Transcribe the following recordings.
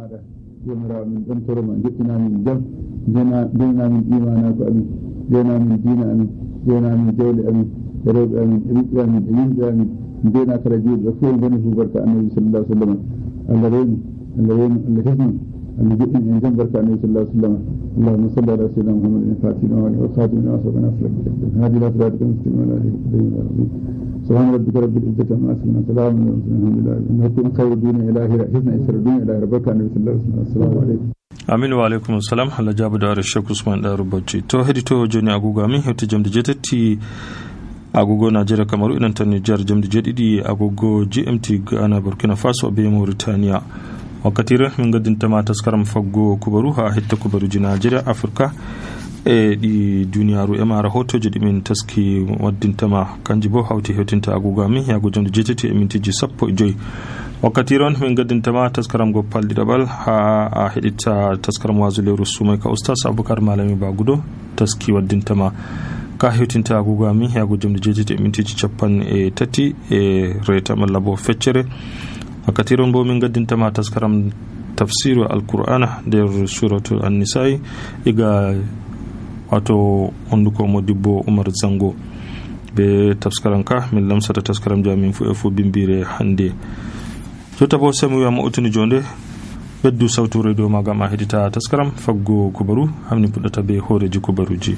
maɗa jomirawo min ɗon toroma joɗɗinamin jam jeynamin imanako amin jeynamin diina amin jeynamin jawle amin e rewɓe amin e ɓiɓɓe amin e yimɓe amin jeyna kala juuɗe fof boni fu barka annabi sallallahu alaihi wasallam Allah rewnu Allah hesnu Allah joɗɗin en jam barka annabi sallallahu alaihi wasallam اللهم صل على سيدنا محمد الفاتح والخاتم لما سبق ناصر بالحق هذه لا صراط المستقيم ولا عليه سبحان ربك رب العزة عما يصفون وسلام على المرسلين الحمد لله إنكم خير الدين إلهي حسن إسر الدين إلهي ربك النبي صلى الله عليه وسلم السلام عليكم aminu wa alaikum assalam Allah jabu da Sheikh Usman da rubuci to hedi to joni agogo min hewti jamde jetetti agogo Najeriya Kamaru inan tan Niger jamde jedidi agogo GMT Ghana Burkina Faso be Mauritania wakkatire min gaddintama taskaram faggo kubaru ha hetta kubaruji Najeriya Afrika e di duniyaru e mara hotoje di min taski waddintama kanji bo hawti hewtinta agogo min yago jamde jetetti e mintiji 15 wakkati ron min gaddintama taskaram go palɗiɗaɓal ha a heɗitta taskaram wasuleru sumay ka oustas aboubacar malami bagudo taski waddintama ka hewtinta agogo amin yago jamde jeetati e mintiji 30 e reta malla bo feccere wakkati ron bo min gaddintama taskaram tafsiru alqur'ana nder suratu an-nisa'i iga wato honduko modibbo Umar Zango be taskaram ka min lamsata taskaram jamin fu e fu bimbire hande jota bo semu ya mutuni jonde beddu sawtu radio maga ma hedita taskaram faggo kubaru hamni puddata be horeji kubaruji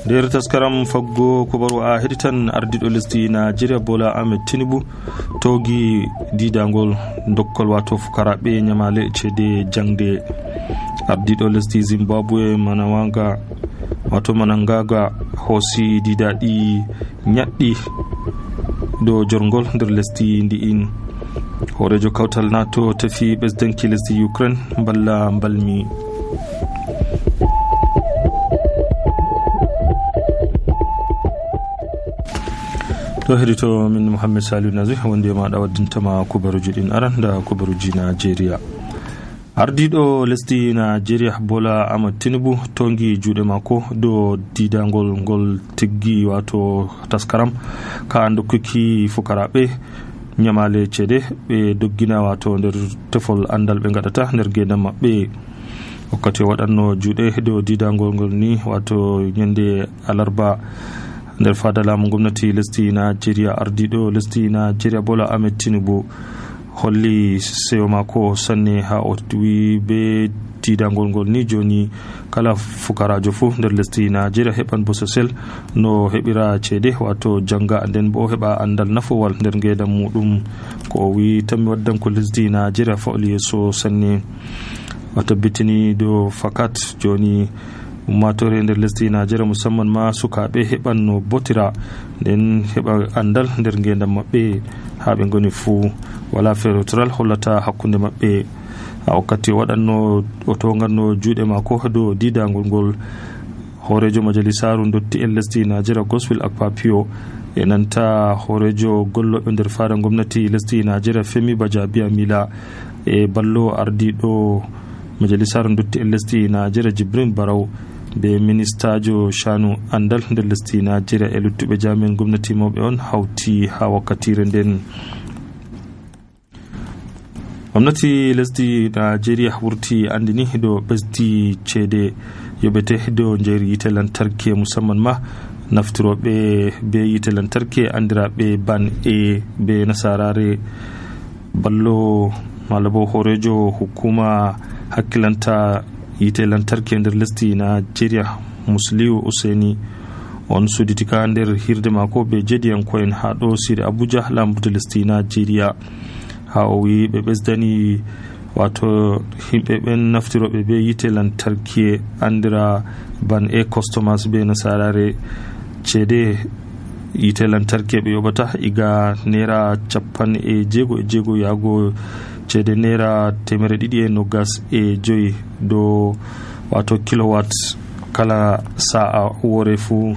der taskaram faggo kubaru a heditan ardido lesdi Nigeria Bola Ahmed Tinubu togi didangol dokkol wato fukarabe nyamale cede jangde ardido lesdi Zimbabwe Manawanga wato Manangaga hosi didaɗi ñaɗɗi do jorgol nder lesdi ndi'in horejo kawtal nato tafi ɓesdanki lesdi Ukraine balla balmi to hedito min Muhammad Salihu Nazi wonde maɗa waddintama kubaruji ɗin aran da kubaruji Nigeria ardiɗo lesdi Nigeria Bola Ahmed Tinubu tongi juuɗe mako do didangol ngol tiggi wato taskaram ka dokkuki fukaraɓe nyamale cede ɓe doggina wato nder tefol andal ɓe gaɗata nder gedam maɓɓe wakkati waɗanno juuɗe do didangol ngol ni wato ñande alarba nder fada laamu gomnati lesdi Nigeria ardiɗo lesdi Nigeria Bola Ahmed Tinubu holli sewo mako sanne ha o wi be didangol ngol ni joni kala fukarajo fu nder lesdi Nigeria heɓan bososel no heɓira cede wato janga nden bo heɓa andal nafowal nder ngedam muɗum ko o wi tammi waddan ko lesdi Nigeria fawli yeso sanne wato bitini do fakat joni ummatore nder lesdi Nigeria musamman ma sukaɓe heɓan no botira nden heɓa andal nder ngedam maɓɓe ha ɓe goni fuu wala ferotoral hollata hakkunde maɓɓe a wakkati waɗanno o tonganno juuɗe mako do didangol ngol horejo majalisaru dotti en lesdi Nigeria Godswill Akpapio e nanta horejo golloɓe nder fada gomnati lesdi Nigeria Femi Bajabiya Mila e ballo ardiɗo majalisaru dotti en lesdi Nigeria Jibrin Barau be ministajo shanu andal nder lesdi Nigeria e luttuɓe jami'en gomnati mawɓe on hawti ha wakkatire nden gomnati lesdi Nigeria wurti andini do ɓesdi cede yoɓete do jeeri yite lantarki musamman ma naftiroɓe be yite lantarki andiraɓe ban e be nasarare ballo malabo horejo hukuma hakkilanta yite lantarki nder lesdi Nigeria Musliu Useni on suditika nder hirde mako be jediyankoen ha ɗo sire Abuja lambude lesdi Nigeria ha o wi ɓe ɓesdani wato himɓe ɓen naftiroɓe be yite lantarki andira ban e customers be nasarare cede yite lantarki ɓe yoɓata iga naira 50 yago cede naira 250 do wato kilowatt kala sa'a wore fu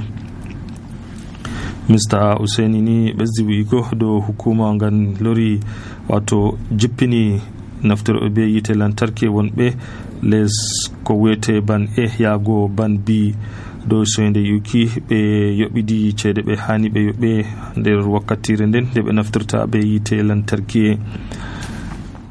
Mr. Useni ni ɓesdi wiiko do hukuma ngan lori wato jippini naftiroɓe be yite lantarki wonɓe les ko wiyete ban e yago ban bi dow soyde yuki ɓe yoɓidi ceede ɓe hani ɓe yoɓe nder wakkatire nden nde ɓe naftirta be yite lantarki.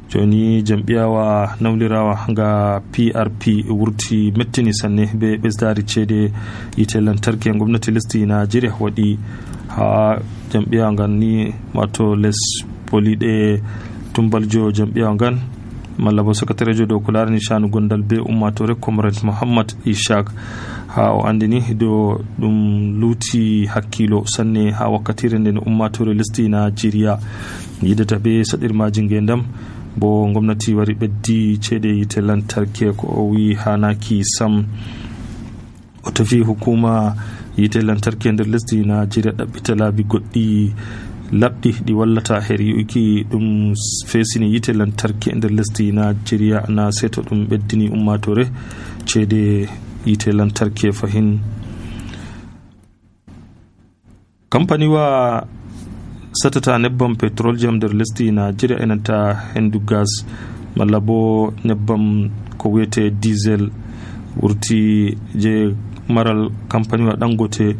joni jam'iyawa nawlirawa nga PRP wurti mettini sanne be ɓesdari ceede yite lantarki gwamnati lesdi Nigeria waɗi ha jam'iyawa ngan ni wato les poliɗe tumbaljo jam'iyawa ngan malla bo secrétaire dow ko larani shanu gondal be ummatore comrade Muhammad Ishaq ha o andini do ɗum luuti hakkilo sanne ha wakkatire nden ummatore lesdi Nigeria yidata be saɗirmaji ngendam bo gwamnati wari ɓeddi ceede yite lantarki ko o wi hanaki sam. o tafi hukuma yite lantarki nder lesdi Nigeria ɗaɓɓita laabi goɗɗi labɗi ɗi wallata her yuki ɗum fesini yite lantarki nder lesdi Nigeria na seto ɗum ɓeddini ummatore ceede yite lantarki fahin. Company wa satata nebbam petrol jam nder lesdi Nigeria enanta hendu gas malla bo nebbam ko wiyete diesel wurti je maral company wa Dangote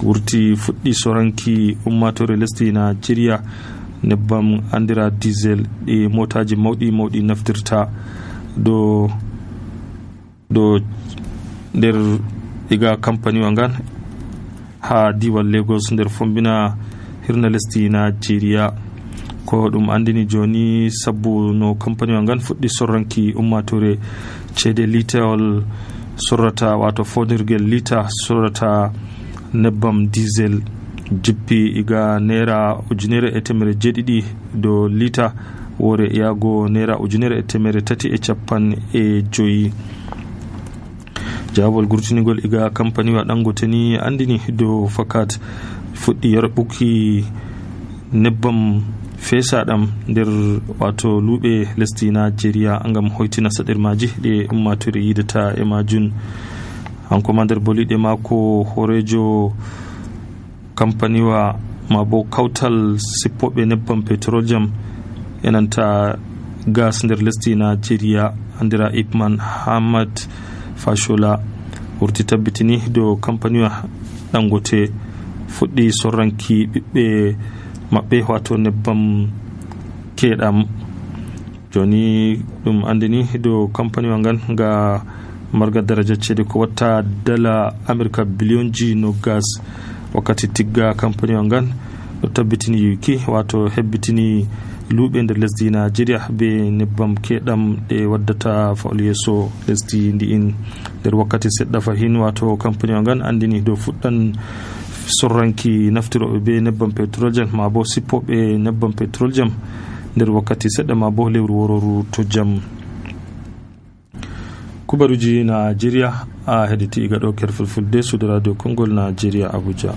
wurti fuɗɗi soranki ummatore lesdi Nigeria nebbam andira diesel ɗi motaji mawɗi naftirta do nder iga company wa ngan ha diwal Lagos nder fombina hirna lesdi Nigeria ko ɗum andini joni sabbu no company wa ngan fuɗɗi sorranki ummatore ceede litawol sorrata wato fonirgel lita sorrata nebbam diesel jippi iga naira 1,700 do lita wore yago naira 1,350 jawol gurtinigol iga company wa Dangote ni andini do fakat fuɗɗi yarɓuki nebbam fesaɗam nder wato luuɓe lesdi Nigeria ngam hoytina saɗirmaji ɗe ummatore yidata e majun. hanko ma nder boliɗe mako horejo company wa mabo kawtal sippoɓe nebbam petrol jam enanta gas nder lesdi Nigeria andira Ipman Hamad Fashola wurti tabbitini do company wa Dangote fuɗɗi sorranki ɓiɓɓe maɓɓe wato nebbam keɗam. joni ɗum andini do company wa ngan ga marga daraja ceede ko watta dala America bilionji no gas wakkati tigga company wa ngan ɗo tabbitini yuki wato hebbitini luuɓe nder lesdi Nigeria be nebbam keɗam ɗe waddata fawol yeeso lesdi ndi'in nder wakkati seɗɗa fahin wato company wa ngan andini do fuɗɗan sorranki naftiroɓe be nebbam petrol jam ma bo sippoɓe nebbam petrol jam nder wakkati seɗɗa ma bo lewru wororu to jam. kubaruji Nigeria a heɗiti iga ɗo kerfulfulde suudu radio Kongol Nigeria Abuja.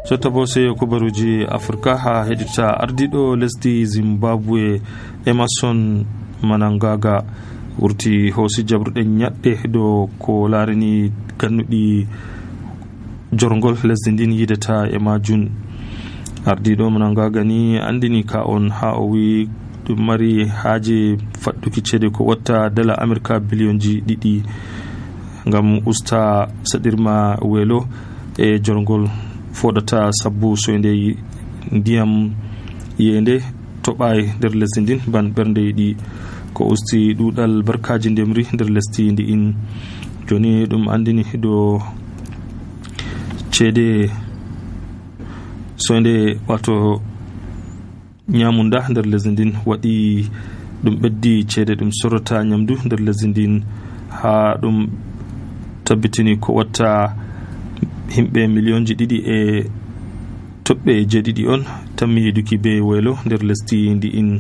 sotta bo sey kubaruji Afrika ha heɗita ardiɗo lesdi Zimbabwe Emerson Mnangagwa wurti hoosi jabruɗe ñaɗɗe do ko larini gannuɗi jorgol lesdi ndin yidata e majun. ardiɗo Mnangagwa ni andini ka on ha o wi ɗum mari haaje faɗɗuki ceede ko watta dala America bilionji 2 ngam usta saɗirma weelo e jorgol foɗata sabbu soyde ndiyam yende toɓay nder lesdi ndin ban ɓernde yiɗi ko usti ɗuɗal barkaji ndemri nder lesdi ndi'in. joni ɗum andini do ceede soyde wato nyamunda nder lesdi ndin waɗi ɗum ɓeddi ceede ɗum sorrata nyamdu nder lesdi ndin ha ɗum tabbitini ko watta himɓe miliyonji 2 e toɓɓe 7 on tammi yiduki be waylo nder lesdi ndi'in.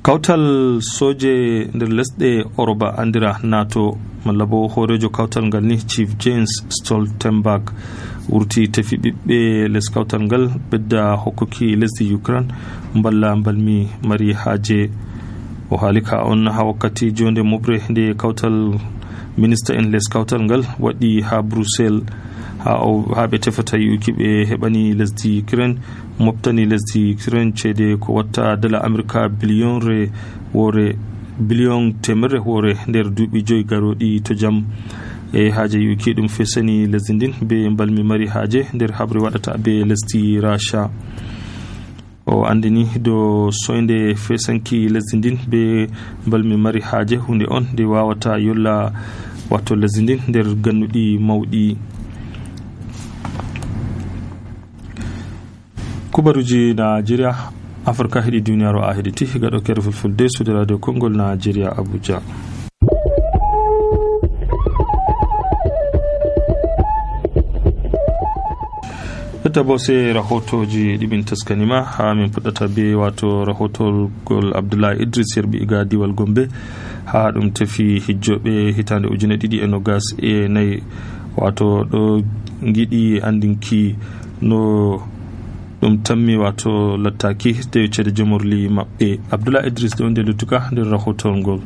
kawtal soje nder lesɗe Oroba andira NATO malla bo horejo kawtal ngal ni Chief James Stoltenberg wurti tefi ɓiɓɓe les kawtal ngal ɓedda hokkuki lesdi Ukraine mballa mbalmi mari haaje. o haali ka on ha wakkati jonde moɓre nde kawtal minista en les kawtal ngal waɗi ha Bruxelles ha ɓe tefata yi'uki ɓe heɓani lesdi Ukraine moftani lesdi Ukraine ceede ko watta dala Amurka biliyon temerre hoore nder duuɓi 5 garoɗi to jam e haaje yi'uki ɗum fesani lesdi ndin be balmi mari haaje nder haɓre waɗata be lesdi Rasha. O andini do soynde fesanki lesdi ndin be balmi mari haaje hunde on nde wawata yolla wato lesdi ndin nder gannuɗi mawɗi. kubaruji Nigeria Afrika heɗi duniyaru a heɗiti gaɗo kere fulfulde suude radio Kongol Nigeria Abuja. Bo sai rahotoji ɗiɓin taskanima ha min fuɗɗata be wato rahotogol Abdullahi Idris yerbi iga diwal Gombe ha ɗum tefi hijjoɓe hitande 2024 wato ɗo giɗi andinki no ɗum tammi wato lattaki de ceede jomorli maɓɓe. Abdullahi Idris ɗo nde luttuka nder rahotol ngol.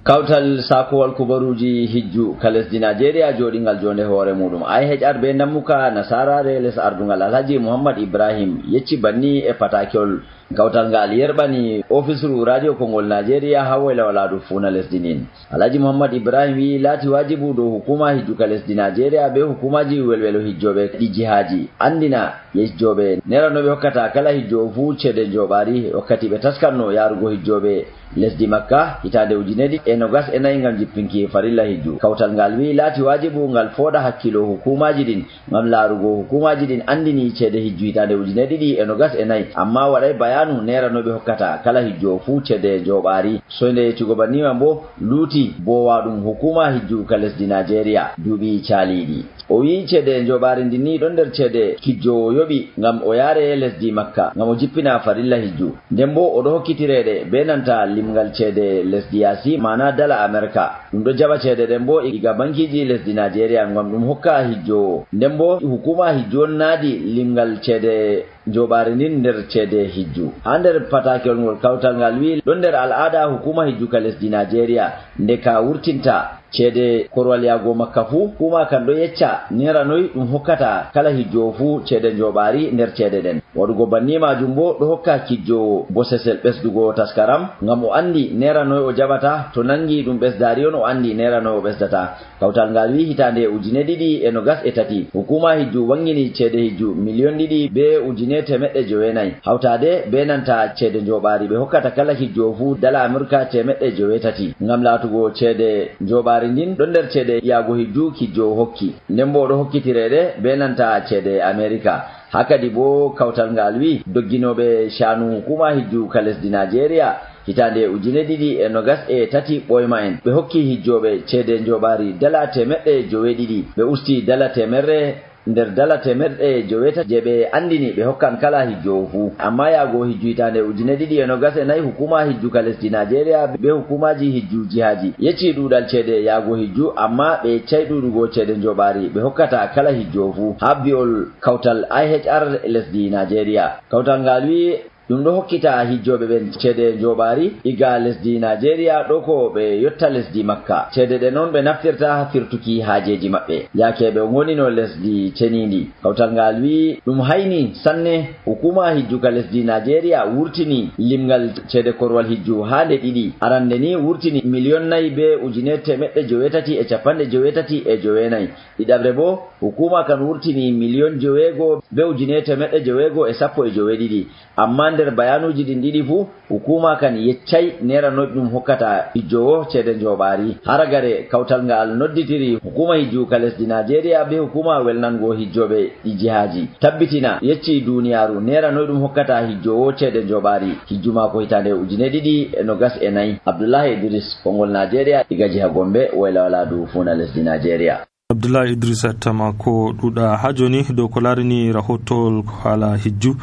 Kawtal sakowal kubaruji hijju ka lesdi Nigeria joɗingal jonde hoore muɗum IHR be nammuka nasarare les ardungal Alhaji Muhammad Ibrahim yecci banni e patakol kawtal ngal yerbani ofisru radio Kongol Nigeria ha wayla waladu funa lesdi nin. Alhaji Muhammad Ibrahim wi lati wajibu do hukuma hijju ka lesdi Nigeria be hukumaji welwelo hijjobe ɗi jihaji andina yejjobe neranoɓe hokkata kala hijjo fu ceede joɓari wakkati ɓe taskanno yarugo hijjoɓe lesdi Makka hitande 2024 ngam jippinki farilla hijju. Kawtal ngal wi lati wajibu ngal foda hakkilo hukumaji din ngam larugo hukumaji din andini ceede hijju hitande 2024 amma waɗay bayanu neranoɓe hokkata kala hijjo fu ceede joɓari. Soyde cugobanima bo luuti bowaɗum hukuma hijju ka lesdi Nigeria duuɓi caliɗi. O wi ceede joɓari ndin ni ɗon nder ceede kijjowo yoɓi ngam o yaare lesdi Makka ngam o jippina farilla hijju. Nden bo oɗo hokkitireɗe be nanta limgal ceede lesdi yasi mana dala Amerika ɗum ɗo jaɓa ceede ɗen bo iga bankiji lesdi Nigeria ngam ɗum hokka hijjowo. Nden bo hukuma hijju on naadi limgal ceede joɓari nin nder ceede hijju. Ha nder patakol ngol kawtal ngal wi ɗon nder al'ada hukuma hijju ka lesdi Nigeria nde ka wurtinta ceede korwal yago Makka fu kuma kan ɗo yecca neranoy ɗum hokkata kala hijjowo fu ceede joɓari nder ceede ɗen. Waɗugo banni majum bo ɗo hokka kijjowo bosesel ɓesdugo taskaram ngam o andi neranoy o jaɓata to nangi ɗum ɓesdari on o andi neranoy o ɓesdata. Kawtal ngal wi hitande 2023 hukuma hijju wangini ceede hijju million 2 be 1,900 hawtade be nanta ceede joɓari ɓe hokkata kala hijjowo fu dala Amurka 1,300 ngam latugo ceede joɓari ndin ɗon nder ceede yago hijju kijjowo hokki. Nden bo ɗo hokkitireɗe be nanta ceede Amerika. Hakadi bo kawtal ngal wi dogginoɓe shanu hukuma hijju ka lesdi Nigeria hitande 2023 ɓoyma en ɓe hokki hijjoɓe ceede joɓari dala 1,200 ɓe usti dala 100 nder dala 1,200 je ɓe andini ɓe hokkan kala hijjowo fu. Amma yago hijju hitande 2024 hukuma hijju ka lesdi Nigeria be hukumaji hijju jihaji yecci ɗuɗal ceede yago hijju amma ɓe yeccay ɗuɗugo ceede joɓari ɓe hokkata kala hijjowo fu ha bi'ol kawtal IHR lesdi Nigeria. Kawtal ngal wi ɗum ɗo hokkita hijjoɓe ɓen ceede joɓari iga lesdi Nigeria ɗo ko ɓe yotta lesdi Makka. Ceede ɗe noon ɓe naftirta ha firtuki haajeji maɓɓe yake ɓe gonino lesdi cenindi. Kawtal ngal wi ɗum hayni sanne hukuma hijju ka lesdi Nigeria wurtini limgal ceede korwal hijju ha nde ɗiɗi. Arande ni wurtini 4,4 be 1,999 ɗiɗaɓre bo hukuma kan wurtini 9,9 be 1,912 amma nder bayanuji ɗin ɗiɗi fu hukuma kan yeccay neranoy ɗum hokkata hijjowo ceede joɓari. Haragare kawtal ngal nodditiri hukuma hijju ka lesdi Nigeria be hukuma welnango hijjoɓe ɗi jihaji tabbitina yecci duniyaru neranoy ɗum hokkata hijjowo ceede joɓari hijju mako hitande 2024. Abdullahi Idris Kongol Nigeria iga jiha Gombe wayla waladu funa lesdi Nigeria. Abdullahi Idris tamako ɗuɗa ha joni dow ko larini rahotol hala hijju.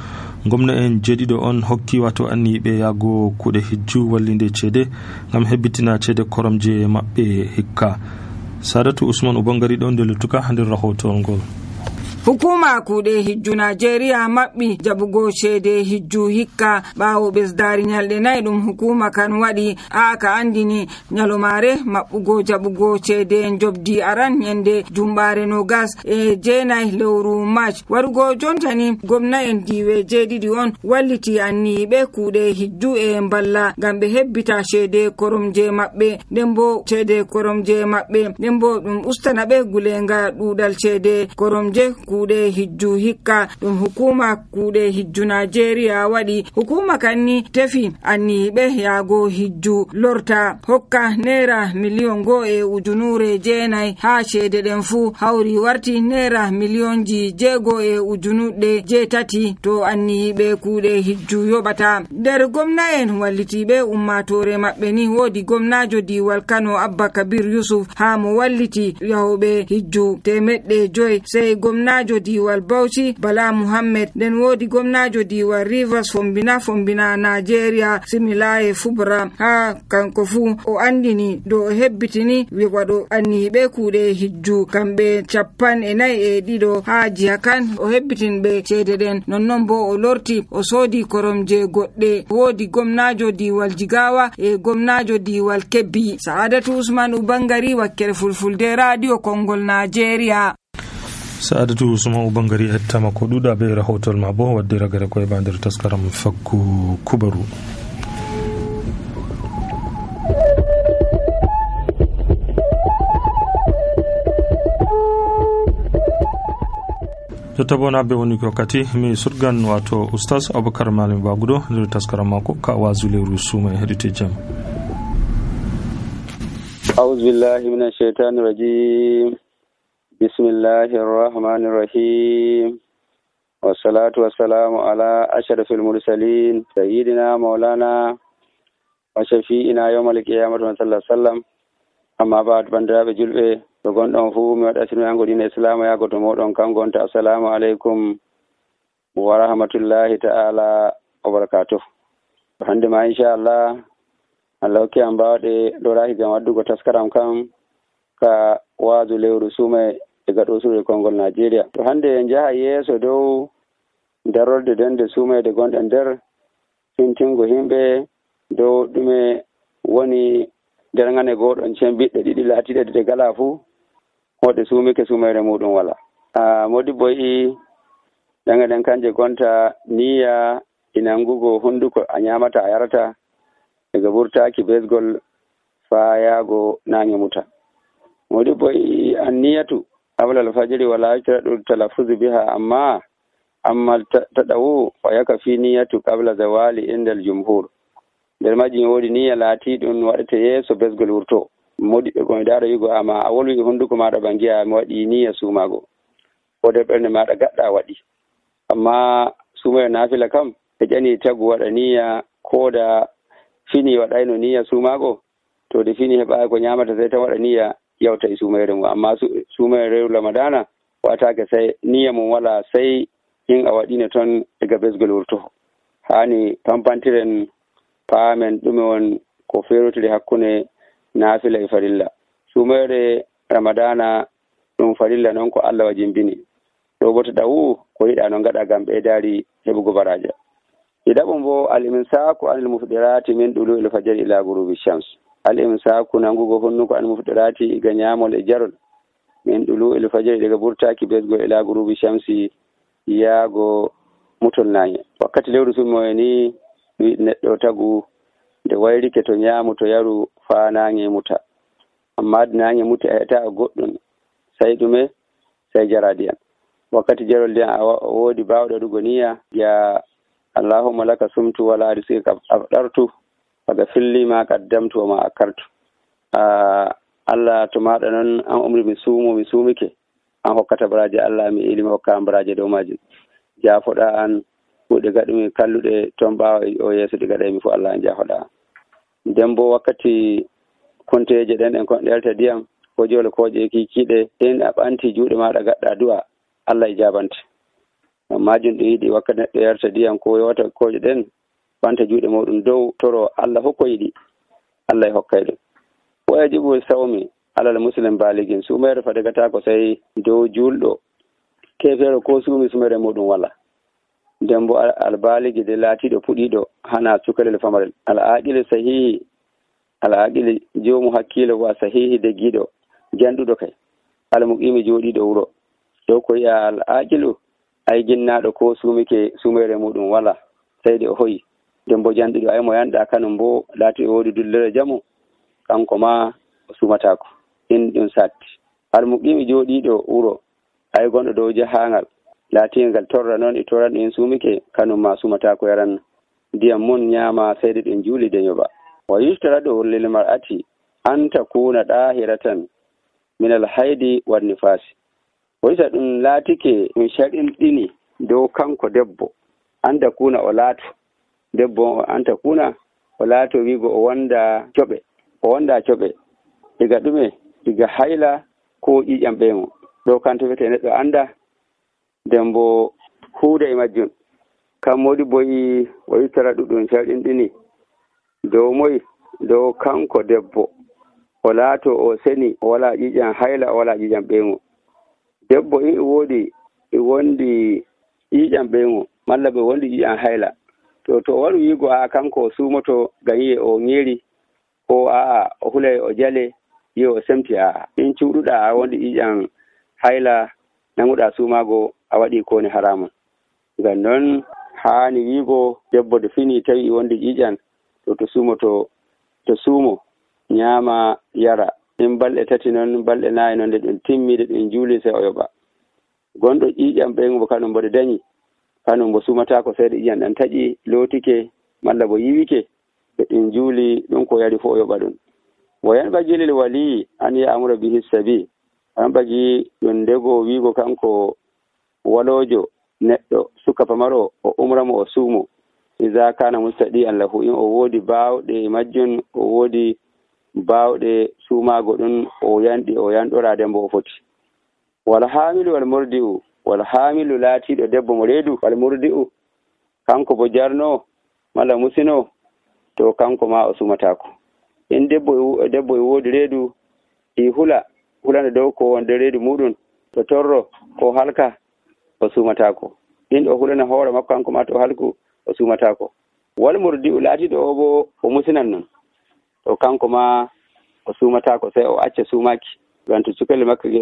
Gomna en jeeɗiɗo on hokki wato anniɓe yago kuɗe hijju wallinde ceede ngam hebbitina ceede koromje maɓɓe hikka. Sadatu Usman Ubangari ɗon nde luttuka nder rahotol ngol. hukuma kuuɗe hijju Najeriya maɓɓi jaɓugo ceede hijju hikka ɓaawo ɓesdaari nyalɗe 4 ɗum hukuma kan waɗi ka andini nyalomare maɓɓugo jaɓugo ceede jobdi aran yende jumɓaare 29 lewru March warugo jontani gomna'en diiwe jeeɗiɗi on walliti anniyiɓe kuuɗe hijju mballa ngam ɓe hebbita ceede koromje maɓɓe nden bo ceede koromje maɓɓe nden bo ɗum ustana ɓe gulenga ɗuuɗal ceede koromje kuuɗe hijju hikka ɗum hukuma kuuɗe hijju Najeriya waɗi. Hukuma kanni tefi anniyiɓe yaago hijju lorta hokka naira miliyon 1.9 ha ceede ɗen fu hawri warti naira miliyonji 6.8 to anniyiɓe kuuɗe hijju yoɓata. nder gomna'en wallitiɓe ummatore maɓɓe ni woodi gomnajo diwal Kano Abba Kabir Yusuf ha mo walliti yahoɓe hijju 500 sai gomnajo diwal Bauchi Bala Muhammed nden woodi gomnajo diwal Rivers Fombina Nigeria Similaye Fubra ha kanko fu o andini do o hebbitini waɗo anniyiɓe kuuɗe hijju kamɓe 42 ha jiha kan o hebbitinɓe ceede ɗen nonnon bo o lorti o soodi koromje goɗɗe woodi gomnajo diwal Jigawa gomnajo diwal Kebbi. Sa'adatu Usman Ubangari wakkere Fulfulde Radio Kongol Nigeria. Sa'adatu Usman Ubangari hettama ko ɗuɗa be rahotol ma bo wadde ragare koye bandir taskaram fakku kubaru. jotta bo nabbe woni ko kati mi surgan wato oustaz Abubakar Malam Bagudo nder taskaram mako ka wazu lewru suma hedite jam. أعوذ بالله من الشيطان الرجيم بسم الله الرحمن الرحيم والصلاة والسلام على أشرف المرسلين سيدنا مولانا وشفيئنا يوم القيامة صلى الله عليه وسلم أما بعد بندراب جلبه وقال أنفو من أسلم عن دين الإسلام يا قد مودون كان قلت السلام عليكم ورحمة الله تعالى وبركاته. عندما إن شاء الله Allah ke an bawaɗe ɗorahi gam waddugo taskaram kam ka waadu lewru sume daga ɗo suure Kongol Nigeria. To hande en jaha yeeso dow darorde dende sumede gonɗe nder fintingo himɓe dow ɗume woni derngane goɗon cen ɓiɗɗe ɗiɗi laatiɗe de gala fuu hoɗe sumike sumere muɗum wala. Modibbo yi ɗanga ɗen kanje gonta niya inangugo hunduko a ñamata a yarata daga burtaki besgol fa yaago nange muta. Modibbo anniyatu qabla al-fajri wala yashtradu talaffuz biha amma tadawu wa yakfi niyatu qabla zawali inda al-jumhur. Der majin wodi niyya laatiɗum waɗete yeeso besgol wurto. Modibbe ko daro yugo amma a wolwi hunduko maɗa bangiya mi waɗi niyya sumago ko de ɓernde maɗa gaɗɗa waɗi. Amma sumaya nafila kam e ƴani tagu waɗa niyya ko da fini waɗayno niyya sumago to de fini heɓa ko ñamata sai ta waɗa niyya yawta e sumayre mum. Amma sumayre rew ramadana watake sai niyya mum wala sai in a waɗino toon daga besgol wurto. Hani pampantiren paamen ɗume won ko ferotiri hakkunde nafila e farilla. Sumayre ramadana ɗum farilla noon ko Allah wajimbini ɗo bo to ɗawu ko yiɗa no gaɗa gam ɓeydari heɓugo baraja. Idaɓum bo al-imsaku anil mufdirati min ɗulu il fajr ila gurubi shams. Al-imsaku nangugo honnuko anil mufdirati iga ñamol e jarol min ɗulu il fajr daga burtaki besgo ila gurubi shamsi yaago mutol nañe. Wakkati lewru sumoye ni neɗɗo tagu nde wayrike to ñaamu to yaru fa nañe muta. Amma nañe muta e heta goɗɗum sai ɗume sai jaradiyan. Wakkati jarol ndiyan a woodi bawɗo ɗugo niyya ya Allahumma laka sumtu wala rizqika afdartu faga filli ma qaddamtu wa ma akartu. Allah to maɗa noon an umri mi sumike an hokkata baraje Allah mi ilimi hokka an baraje dow majum. Jafoɗa an kuuɗe gaɗumi kalluɗe toon ɓaawa o yeeso ɗi gaɗaymi fo Allah an jafoɗa an. Nden bo wakkati konteje ɗen ɗen kon ɗelta ndiyam ko jole koje kikiɗe ɗen a ɓanti juuɗe maɗa gaɗɗa du'a Allah e jabante. Majum ɗo yiɗi wakkati neɗɗo yarta ndiyam ko yewata koje ɗen ɓanta juuɗe muɗum dow toro Allah hokko yiɗi Allah e hokkay ɗum. Wa yajibu sawmi alal muslim baligin sumere fadigata ko sai dow julɗo kefere ko sumi sumere muɗum wala. nden bo albaligi de laatiɗo puɗiɗo hana cukalel famarel. al'aqile sahihi al'aqile jomu hakkilo wa sahihi deggiɗo janɗuɗo kay almuqimi joɗiɗo wuro dow ko yi'a al'aqilu ay ginnaɗo ko sumike sumere muɗum wala seyde o hoyi. nden bo janɗuɗo ay mo yanɗa kanum bo laati o wodi dullere jamu kanko ma o sumatako. in ɗum satti almuqimi joɗiɗo wuro ay gonɗo dow jahangal laatingal torra noon e torran en sumike kanum ma sumatako yaran ndiyam mun ñaama seyde ɗen juuli de yoɓa. wa yustaradu lil mar'ati an takuna dahiratan min al haydi wan nifasi. waysa ɗum laatike ɗum sharɗinɗini dow kanko debbo an takuna o laato debbo an takuna o laato wiigo o wonda coɓe diga ɗume diga hayla ko ƴiƴam ɓeymo ɗo kanto wiyete neɗɗo anda nden bo huuda e majjum. kam modi boyi o yittara ɗuɗum sharɗinɗini dow moyi dow kanko debbo o laato o seni o wala ƴiƴam hayla o wala ƴiƴam ɓeymo. debbo in e wondi ƴiƴam ɓeymo malla ɓe wondi ƴiƴam hayla to o waɗi wiigo a kanko o sumoto ngam yi'e o ñeeri ko a'a o hulay o jale yi'e o semti a'a in cuuɗuɗa a wondi ƴiƴam hayla nanguɗa sumago a waɗi kone haramun. ngam noon haani wiigo debbo de fini tawi wondi ƴiƴam to suumo ñaama yara in balɗe tati noon balɗe naayi noon nde ɗum timmide ɗum juuli sey o yoɓa. gonɗo ƴiƴam ɓeymo bo kanum mboɗo dañi kanum bo sumatako seyde ƴiƴam ɗan taƴi lootike malla bo yiwike ɓe ɗum juuli ɗum ko yari fof o yoɓa ɗum. wo yanɓagii lil waliyi an ya'mura bihi sabi yanɓagii ɗum ndego wiigo kanko waloojo neɗɗo suka pamaro o umramo o suumo iza kana mustadi an lahu in o woodi baawɗe majjum o woodi baawɗe suumaago ɗum o yanɗora dembo o foti. wal haamilu wal murdi'u wal haamilu laatiiɗo debbo mo reedu wal murdi'u kanko bo jarno malla musino to kanko ma o sumatako. in debbo e woodi reedu i hulana dow ko wonde reedu muɗum to torro ko halka o sumatako. in o hulana hoore makko kanko ma to halku o sumatako. wal murdi'u laatiɗo o bo o musinan non to kanko ma o sumatako sey o acca sumaki ngam to cukelle makko ge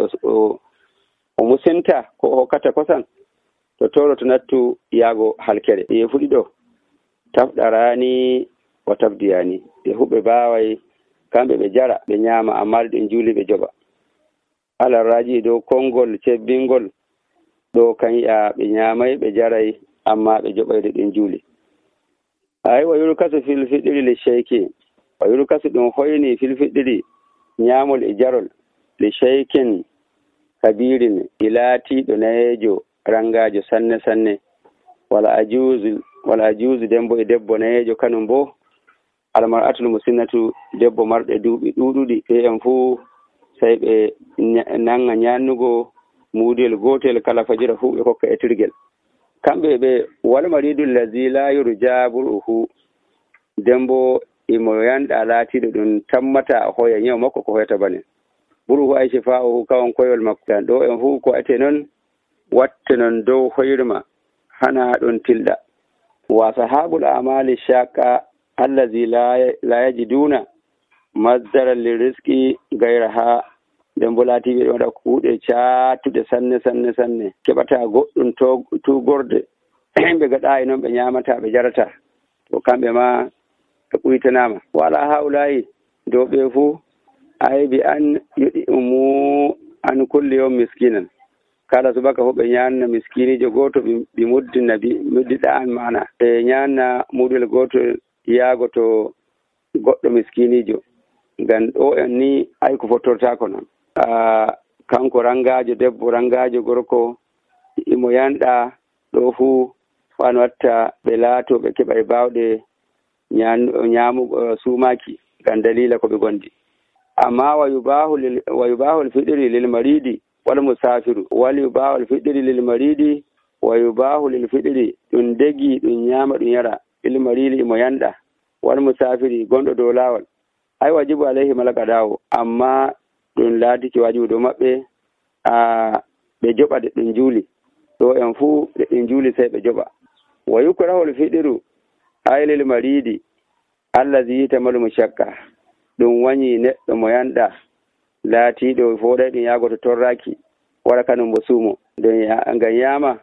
o musinta ko o hokkata kosan to toro to nattu yaago halkere. ye fuɗi ɗo tafɗarani o tafdiyani ɓe huɓɓe baaway kamɓe ɓe jara ɓe ñaama amma ɗen juuli ɓe joɓa. alarraji dow konngol cebbingol ɗo kan yi'a ɓe ñaamay ɓe jaray amma ɓe joɓayde ɗen juuli. ay wa yurkasu fil fiɗiri li sheyki wa yurkasu ɗum hoyni fil fiɗiri ñaamol e jarol li sheykin kabirin ilaatiɗo nayeejo rangajo sanne sanne wala ajuuzu dembo e debbo nayeejo kanum bo almar'atul musinnatu debbo marɗe duuɓi ɗuuɗuɗi ɓe en fuu sey ɓe nanga ñannugo muudel gotel kala fajira fuu ɓe kokka e tirgel. kamɓe ɓe wal maridu allazi la yurja bur'uhu dembo imo yanɗa laatiɗo ɗum tammata hoya ñaw makko ko hoyata bane bur'uhu ay shifa'uhu kawon koyol makko. tan ɗo en fuu ko ate noon watte noon dow hoyrma hana ɗon tilɗa. wa sahabul amali shaqa allazi la yajiduna masdaran lirizqi gayraha dembo laatiɓe ɗo waɗa kuuɗe caatuɗe sanne keɓata goɗɗum tugorde ɓe gaɗa e noon ɓe ñamata ɓe jarata to kamɓe ma ɓe ɓuytanama. wala hawlayi dow ɓe fuu aybi an yoɗi umu an kulli yawm miskinan kala subaka fo ɓe ñanna miskinijo goto ɓe muddiɗa an mana ɓe ñanna muɗel goto yaago to goɗɗo miskinijo. ngam ɗo en ni ay ko fottortako noon. kanko rangajo debbo rangajo gorko imo yanɗa ɗo fuu an watta ɓe laato ɓe keɓa e bawɗe ñamugo sumaki ngam dalila ko ɓe gondi. amma wa yubahu lfiɗiri lil maridi wal musafiru wal yubahu lfiɗiri lil maridi wa yubahu lil fiɗiri ɗum degi ɗum ñama ɗum yara lil maridi imo yanɗa wal musafiri gonɗo dow lawol ay wajibu alayhi malaka dawo amma ɗum laatiki wajibu dow maɓɓe ɓe joɓade ɗum juuli ɗo en fuu ɗin juuli sey ɓe joɓa. Wa yukrahul fiɗiru aylil maridi allazi yitamalu shakka, ɗum wañi neɗɗo mo yanɗa laatiiɗo fooɗay ɗum yaago to torraki wara kanum bo suumo ngam yaama.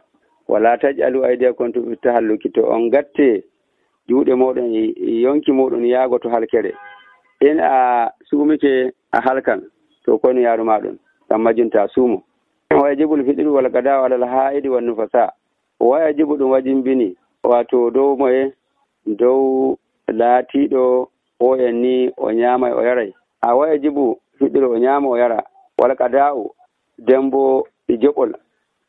wala taj'alu aydiyakum fi tahalluki, to on gatte juuɗe moɗon yonki moɗon yaago to halkere. In a suumike a halkan to kono yaaru maɗon ngam majjunta suumo. wa yajibul fiɗiru wal qada'u alal haa'idi wan nufasa, wa yajibu ɗum wajimbini wato dow moye dow laatiiɗo o en ni o ñaamay o yaray. a wa yajibu fiɗiru o ñaama o yara, wal qada'u dembo e joɓol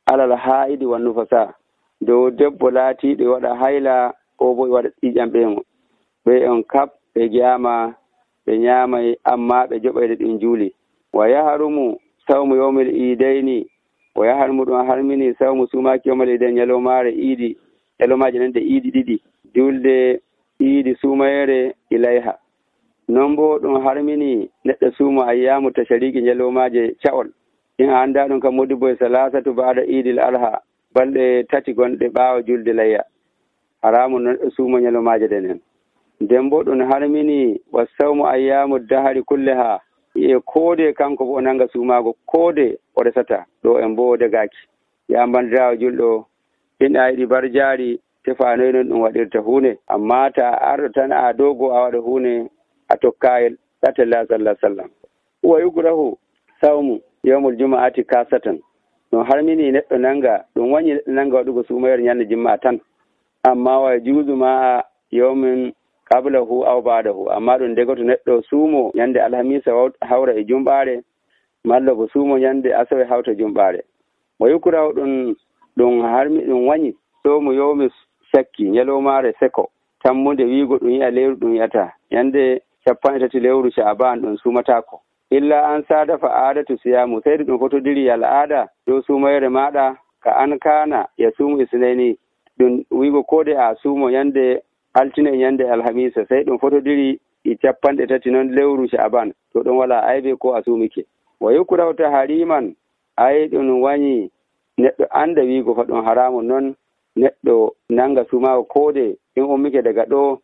alal haa'idi wan nufasa, dow debbo laatiiɗo waɗa hayla o bo waɗa ƴiƴam ɓeemo. ɓe on kap ɓe gi'ama ɓe ñaamay amma ɓe joɓayde ɗin juuli. wa yaharumu sawmu yawmil iidayni, o yaharmu ɗum harmini sawmu sumaaki yawmal iidayni, ñalomaare iidi, ñalomaaje nan de iidi ɗiɗi, julde iidi sumayere ilayha. non bo ɗum harmini neɗɗo suumo ayyamu tashariki, ñalomaaje ca'ol. in a annda ɗum kam modi boye salasatu ba'da iidil alha, balɗe tati gonɗe ɓaawo julde layya, haramu neɗɗo suumo ñalomaaje ɗenen. nden bo ɗum harmini wa sawmu ayyamu dahari kulleha, e koode kanko bo o nanga suumaago koode o resata ɗo en bo degaki. ya bandirawo julɗo, in a yiɗi barjaari tefanoy non ɗum waɗirta huunde, amma ta arɗo tan a dogo a waɗa huunde a tokkayel ɗatella sallah sallam. wa yukrahu sawmu yawmul juma'ati kasatan, ɗum harmini neɗɗo nanga, ɗum wañi neɗɗo nanga waɗugo suumayere ñande jumma'a tan, amma wa juuzu ma yawmin qablahu aw ba'dahu, amma ɗum degoto neɗɗo suumo ñande alhamisa hawra e jumɓaare, malla bo suumo ñande asawe hawta jumɓaare. wa yukrahu ɗum harmi ɗum wañi sawmu yawmi sakki, ñalomaare seko tammude wiigo ɗum yi'a lewru ɗum yi'ata ñande 13 lewru sha'ban ɗum suumatako. illa an sada fa adatu siyamu, seydi ɗum fotodiri al'ada dow suumayere maɗa ka an kana ya suumu isnaini, ɗum wiigo kode a suumo ñande altine e ñande alhamisa, sey ɗum fotodiri e 13 noon lewru sha'ban, to ɗum wala aybe ko a suumike. wa yukrahu tahariman, ay ɗum wañi neɗɗo anda wiigo fa ɗum haramu, noon neɗɗo nanga suumago koode in ummike daga ɗo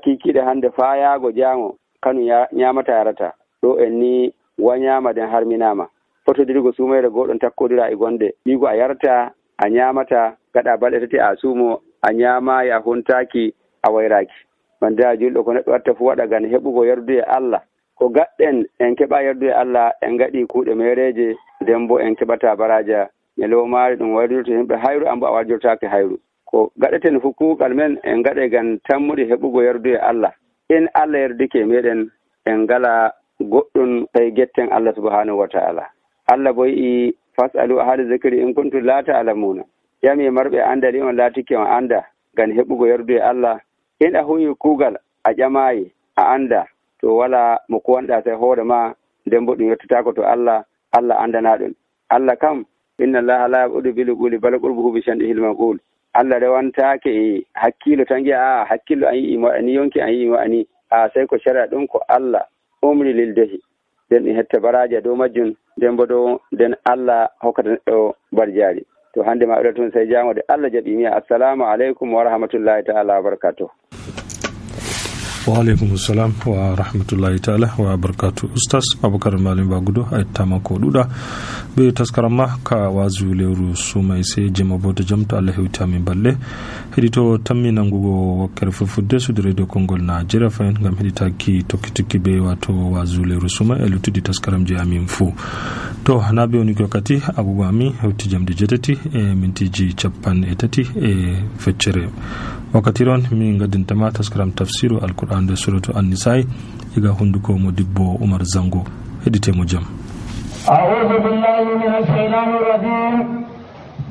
kikiɗe hande faa yaago jaango kanu ñamata yarata, ɗo en ni wañama den harminama. fotodirgo suumayre goɗon takkodira e gonde, wiigo a yarata a ñamata, gaɗa balɗe tati a suumo a ñamayi a huntaki a wayraki. bandira julɗo, ko neɗɗo watta fu waɗa gan heɓugo yardude Allah. ko gaɗɗen en keɓa yardude Allah, en gaɗi kuuɗe mereje, nden bo en keɓata baraja ñalomaare ɗum wayrdirto himɓe hayru, ambo a warjortake hayru. ko gaɗeten fu kuugal men en gaɗe gan tammude heɓugo yardude Allah. in Allah yardike meɗen en ngala goɗɗum tawi getten Allah subhanahu wa ta'ala. Allah bo yi fasalu ahli zikri in kuntum la ta'lamuna, yami marɓe andali on laatike on anda gan heɓugo yardude Allah. in a huwi kuugal a ƴamayi a anda, to wala mo kuwanɗa sai hoore ma, nden bo ɗum yettatako to Allah andana ɗum. Allah kam inna allaha la yabudu bil quli bal qurbuhu bi shan'ihil maqul. Allah rewantake e hakkilo tan gi'a hakkilo an yi mo ani yonki an yi mo ani sai ko shara ɗum ko Allah umri lil dehi, den ɗum hetta baraji dow majjum, nden bo dow nden Allah hokkata neɗɗo barjaari. to hande ma ɗo tun sai jangode Allah jaɓi mi assalamu aleykum wa rahmatullahi ta'ala wa barakatuh. wa aleykum salam wa rahmatullahi taala wa barakatu. Ustaz Abubakar Malam Bagudo a yettama ko ɗuɗa be taskaramma ka wazu lewru sumay se jema boto jam to Allah hewtami balle heɗito tammi nangugo wakkere fulfulde sudu radio Kongol Nigeria fayin gam heɗitaki tokki be wato wazu lewru sumay e luttuɗi taskaram je amin fuu. to na be woni wakkati agogo ami hewti jamdi jetati e mintiji 30 e feccere. wakkati ron min gaddintama taskaram tafsiru alquran da suratu an-nisa'i iga hunduko mo dibbo Umar Zango. heɗitemo jam. a'udhu billahi minash shaitanir rajim.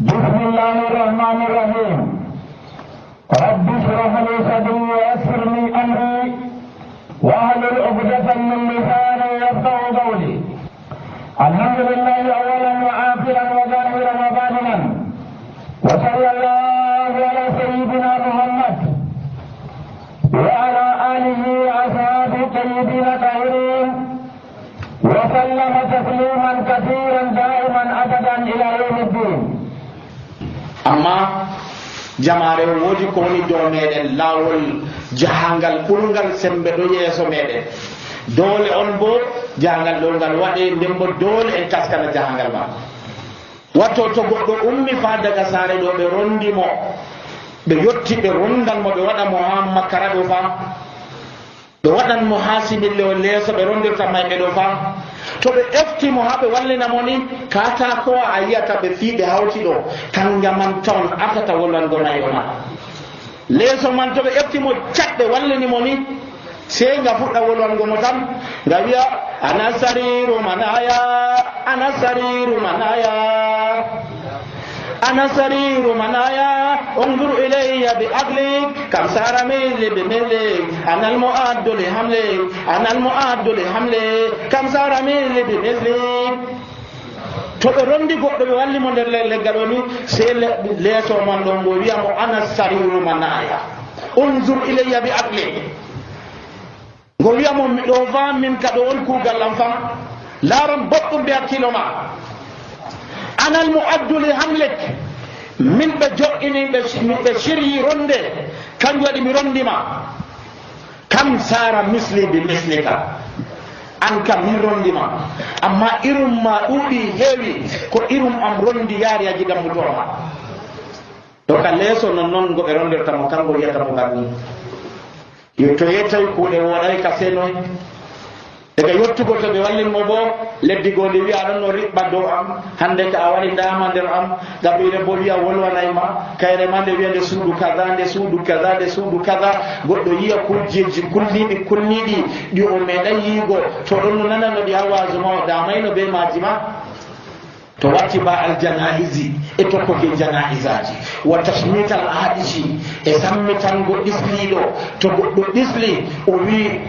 bismillahir rahmanir rahim. rabbi shrah li sadri wa yassir li amri wa hlul 'uqdatan min lisani yafqahu qawli. alhamdulillahi awwalan wa akhiran wa zahiran wa batinan wa sallallahu ala sayyidina Muhammad وعلى آله وأصحابه الطيبين الطاهرين وسلم تسليما كثيرا دائما أبدا إلى يوم الدين. amma jamare wodi ko woni dow meɗen lawol jahangal ɓurgal sembe ɗo yeeso meɗen dole on bo jahangal ɗo ngal waɗe nden bo dole en taskana jahangal ma watto to goɗɗo ummi fa daga saare ɗo ɓe rondimo ɓe yotti ɓe rondan mo ɓe waɗa mo ha makkara ɗo fa ɓe waɗan mo ha simille o leeso ɓe rondirta mayɓe ɗo fa to ɓe eftimo ha ɓe wallina mo ni katakowa a yiyata ɓe fii ɓe hawti ɗo kanga man tawon atata wolwango nayi o ma leeso man to ɓe eftimo catɓe wallini mo ni sey nga fuɗɗa wolwango mo tan nga wiya ana sariru manaya ana sariru manaya ana sariru manaya unzur ilayya bi aqlik kam sara mili bi mili ana al mu'addu li hamli ana al mu'addu li hamli kam sara mili bi mili to ɓe rondi goɗɗo ɓe walli mo nder leggal o ni sey leeso man ɗon ngo wiya mo ana sariru manaya unzur ilayya bi aqlik ngo wiya mo miɗo fa min ka ɗo on kuugal am fam laaron boɗɗum ɓe hakkilo ma anal mu'addu li hamlik min ɓe jo'ini ɓe siryi ronde kanjum waɗi mi rondima kam sara misli bi mislika an kam min rondima amma irum ma ɗuuɗi heewi ko irum am rondi yaari a jigam mutoroma to ka leeso non noon ngo ɓe rondirtamo kanko wiyatamo ganni yo to yettawi kuuɗe woɗay ka senoy daga yottugo to ɓe wallinmo bo leddigode wiya ɗon no riɓɓa dow am hande ka a waɗi ndama nder am gaɓɓire bo wiya wolwanayma kayre ma nde wiya nde suudu kaza nde suudu kaza nde suudu kaza goɗɗo yiya kujjeji kulniɗi ɗi o meeɗa yiigo to ɗon no nanano ɗi ha wasuma o damayno be maji ma to watti ba aljanaisi e tokkoke janaisaji wa tasmital aɗisi e sammitango ɗisliɗo to goɗɗo ɗisli o wi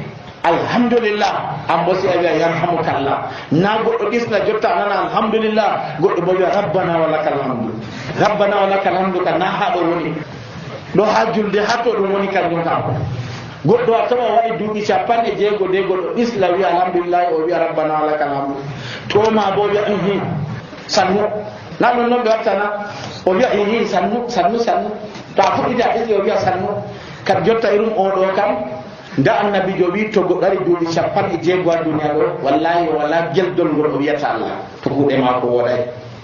alhamdulillah an bo si a wiya yarhamukallah na goɗɗo ɗisla jotta nana alhamdulillah goɗɗo bo wiya rabbana wa lakal hamdu rabbana wa lakal hamdu ka na ha ɗo woni ɗo ha julde ha to ɗum woni kanjum kam goɗɗo a tawa waɗi duuɓi 60 de goɗɗo ɗisla wiya alhamdulillah o wiya rabbana wa lakal hamdu to ma bo wiya sannu na ɗon noon ɓe wattana o wiya sannu to a fuɗɗita ɗisli o wiya sannu kad jotta irum oɗo kam nda annabijo wi to goɗɗo ari duuɓi 60 ha duniya ɗo wallahi wala geldol ngol o wiyata Allah to kuuɗe mako woɗay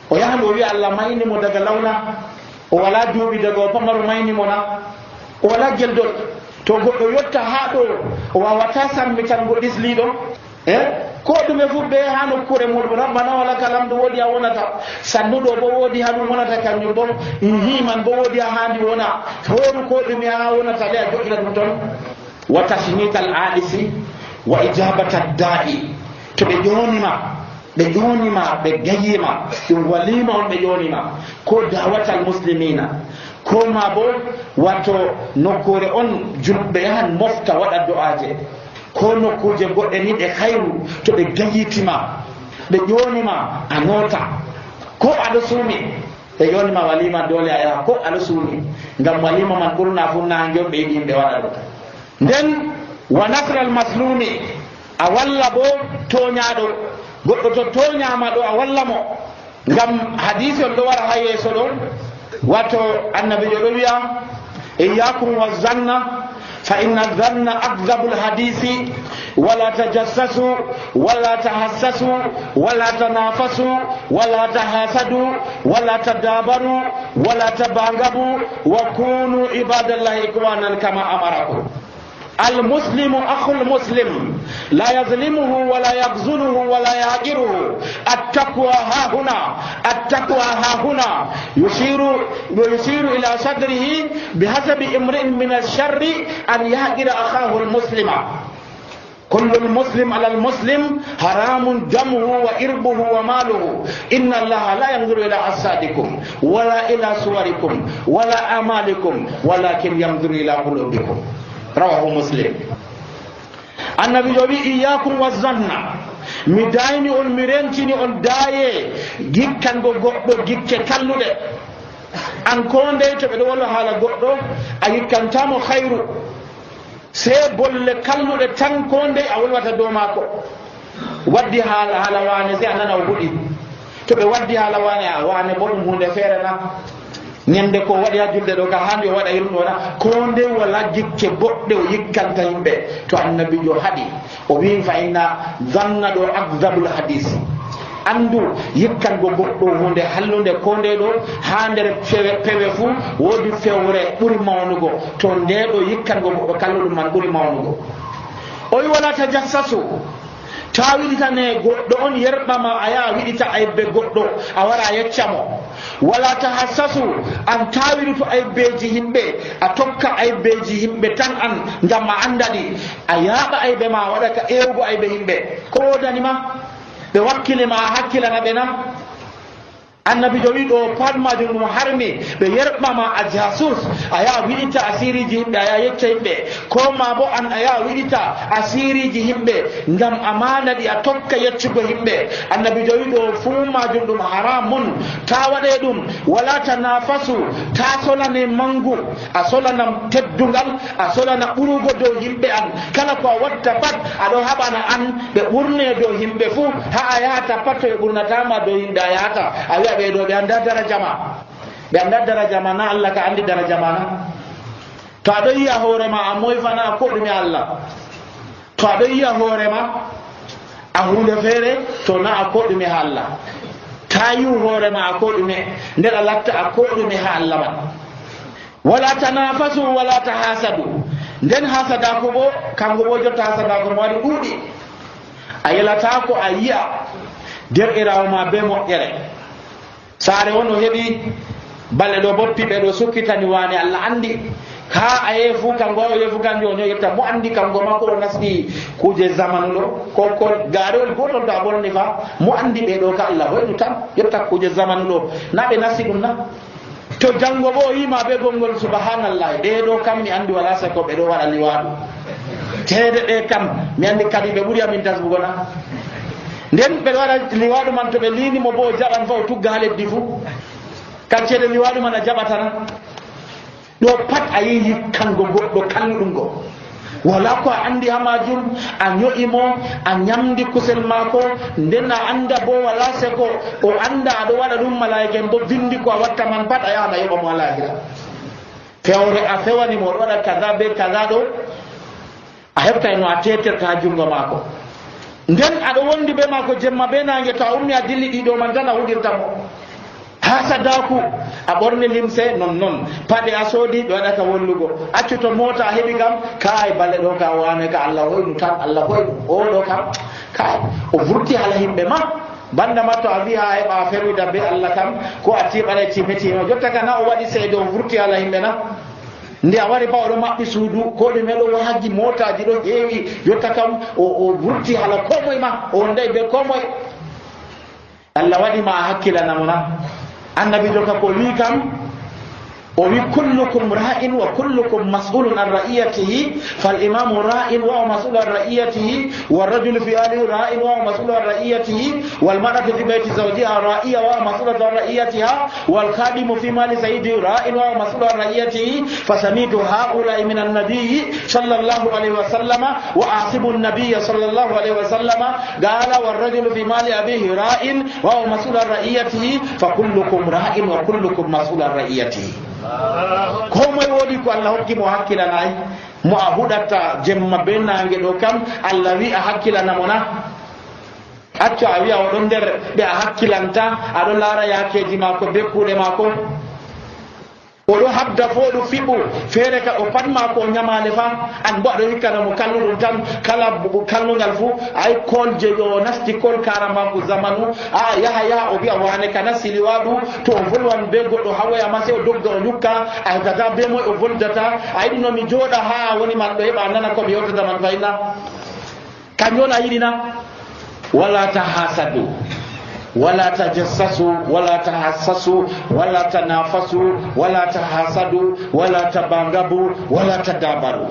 o yahan o wiya Allah maynimo daga lawna o wala duuɓi daga o pamaru maynimo na o wala geldol to goɗɗo yotta ha ɗo o wawata sammitango ɗisliɗo ko ɗume fu ɓe ha nokkure muɗum rabbana wala kalamdu woodi ha wonata sannuɗo bo woodi ha ɗum wonata kanjum bo himan bo woodi ha handi wona horu ko ɗume ha wonata le a joƴƴira ɗum toon wa tasmital aɗisi wa ijabata da'i to ɓe ƴonima ɓe gayima ɗum walima on ɓe ƴonima ko dawatal muslimina ko ma bo wato nokkure on julɓe yahan mofta waɗa do'aje ko nokkuje goɗɗe ni ɗe hayru to ɓe gayitima ɓe ƴonima a nota ko aɗa suumi ɓe ƴonima walima dole a yaha ko aɗa suumi ngam walima man ɓurna fu nangue ɓe yiɗi ɓe waɗa ɗo nden wa nasral maslumi a walla bo toñaɗo goɗɗo to toñama ɗo a walla mo ngam hadisi on ɗo wara ha yeeso ɗo wato annabijo ɗo wiya iyakum wa zanna fa inna zanna akdabu lhadisi wala tajassasu wala tahassasu wala tanafasu wala tahasadu wala tadabaru wala tabangabu wa kunu ibadallahi ikwanan kama amarakum المسلم أخو المسلم لا يظلمه ولا يخذله ولا يهجره التقوى ها هنا يشير إلى صدره بحسب امرئ من الشر أن يهجر أخاه المسلم كل المسلم على المسلم حرام دمه وإربه وماله إن الله لا ينظر إلى أجسادكم ولا إلى صوركم ولا أعمالكم ولكن ينظر إلى قلوبكم rawahu muslim annabi jowi iyakum wa zanna mi dayni on mi rentini on daaye gikkango goɗɗo gikke kalluɗe an ko nde to ɓeɗo walla haala goɗɗo a gikkantamo hayru se bolle kalluɗe tan ko nde a wolwata dow maako waddi haala wane se a nana o huɗi to ɓe waddi haala wane bo ɗum hunde feere na ñande ko waɗi ha julde ɗo ka handi o waɗa irum ɗona ko nde wala jikke boɗɗe o yikkanta yimɓe to annabijo haɗi o wi fa inna zanna ɗo akdabul hadis andu yikkango goɗɗo hunde hallude ko nde ɗo ha nder pewe fuu woodi fewre ɓuri mawnugo to nde ɗo yikkango goɗɗo kalluɗum man ɓuri mawnugo o wi wala tajassasu ta wiɗitane goɗɗo on yerɓama a yaha wiɗita aybe goɗɗo a wara a yeccamo wala tahassasu an tawiru to aybeji yimɓe a tokka aybeji yimɓe tan an ngam a andaɗi a yaaɓa aybe ma waɗa ka ewgo aybe yimɓe ko wodanima ɓe wakkilema a hakkilana ɓe na annabijo wi ɗo pat majum ɗum harmi ɓe yerɓama a jasus a yaha wiɗita asiriji yimɓe a yaha yecca yimɓe ko ma bo an a yaha wiɗita asiriji yimɓe ngam amana ɗi a tokka yeccugo yimɓe annabijo wi ɗo fuu majum ɗum haramun ta waɗe ɗum wala tanafasu ta solane mangu a solana teddungal a solana ɓurugo dow yimɓe an kala ko a watta pat aɗo haɓana an ɓe ɓurne dow yimɓe fuu ha a yahata pat to ɓe ɓurnatama dow yimɓe a yahata a wiya ɓeɗo ɓe anda daraja ma ɓe anda daraja ma na Allah ka andi daraja ma na to aɗo yiya hoorema a moyfana a koɗume Allah to aɗo yiya hoorema a hunde feere to na a koɗume ha Allah ta yiw hoorema a koɗume nder a latta a koɗume ha Allah man wala tanafasu wala tahasadu nden hasadako bo kanko bo jotta hasadako mo waɗi ɗuuɗi a yelata ko a yiya derɗirawo ma be moƴƴere saare won o heɓi balle ɗo boppiɓe ɗo sukkitani wani Allah andi ha a yeefu kanko o yeefu kanjo on yetta mo andi kanko makko ɗo nasɗi kuje zamanu ɗo ko gaarewol gotol to a bolni fa mo andi ɓe ɗo ka Allah hoynu tan yetta kuje zamanu ɗo na ɓe nasti ɗum na to janngo bo o yima ɓe gongol subhanallah ɓe ɗo kam mi andi wala sako ɓe ɗo waɗa liwaɗu teede ɗe kam mi andi kadi ɓe ɓuri amin tasbugo na nden ɓe waɗa liwaɗu man to ɓe linimo bo o jaɓan fa o tugga ha leddi fuu kancede liwaɗu man a jaɓatana ɗo pat a yi yikkango goɗɗo kalluɗum go wala ko a andi ha majum a ño'imo a ñamdi kusel maako nden a anda bo wala seko o anda aɗo waɗa ɗum malaika en bo vindi ko a watta man pat a yahan a yoɓa mo alahira fewre a fewanimo oɗo waɗa kaza be kaza ɗo a heɓta no a teterta ha jungo maako nden aɗo wondi be maako jemma be nange to a ummi a dilli ɗiɗo man tan a huɗirta mo ha sadaku a ɓorni limse non paɗe a soodi ɓe waɗata wollugo accu to mota a heɓi kam kay balle ɗo ka wane ka Allah hoynu tan Allah hoynu oɗo kam kay o vurti hala yimɓe ma banda ma to a wi ha heɓa a ferwida be Allah kam ko a tiɓaɗa timetino jotta ka na o waɗi seede o vurti hala yimɓe na nde a wari ba oɗo maɓɓi suudu ko ɗume ɗo haggi motaji ɗo heewi jotta kam o vurti hala komoye ma o wonday be komoye Allah waɗima a hakkilanamo na annabijo ka ko wi kam o wi kullukum ra'in wa kullukum mas'ulun an ra'iyatihi fal imamu ra'in wa mas'ulun an ra'iyatihi wal rajulu fi ahlihi ra'in wa mas'ulun an ra'iyatihi wal mar'atu fi bayti zawjiha ra'iya wa mas'ulun an ra'iyatiha wal khadimu fi mali sayyidihi ra'in wa mas'ulun an ra'iyatihi fasamitu ha'ula'i min an-nabiy sallallahu alayhi wa sallama wa asibu an-nabiy sallallahu alayhi wa sallama qala wal rajulu fi mali abihi ra'in wa mas'ulun an ra'iyatihi fa kullukum ra'in wa kullukum mas'ulun an ra'iyatihi komoye woodi ko Allah hokki mo hakkilanayi mo a huɗatta jemma be nange ɗo kam Allah wi a hakkilanamo na accu a wiya oɗon nder ɓe a hakkilanta aɗo laara yakeji mako be kuuɗe mako oɗo habda fo ɗo fiɓu feere ka o pat mako o ñamale fa an bo aɗo hikkanamo kalluɗum tan kala kallugal fuu ay kol je o nasti kol karamaku zamanu a yaha o wiya wane ka nasti liwaɗu to o volwan be goɗɗo hawoyama se o dogga o ñukka a heɓtata be moye o voldata a yiɗi nomi jooɗa ha woni man ɗo heɓa nana komi yewtata man fayna kañum a yiɗina wala tahasadu wala tajassasu wala tahassasu wala tanafasu wala tahasadu wala tabangabu wala tadabaru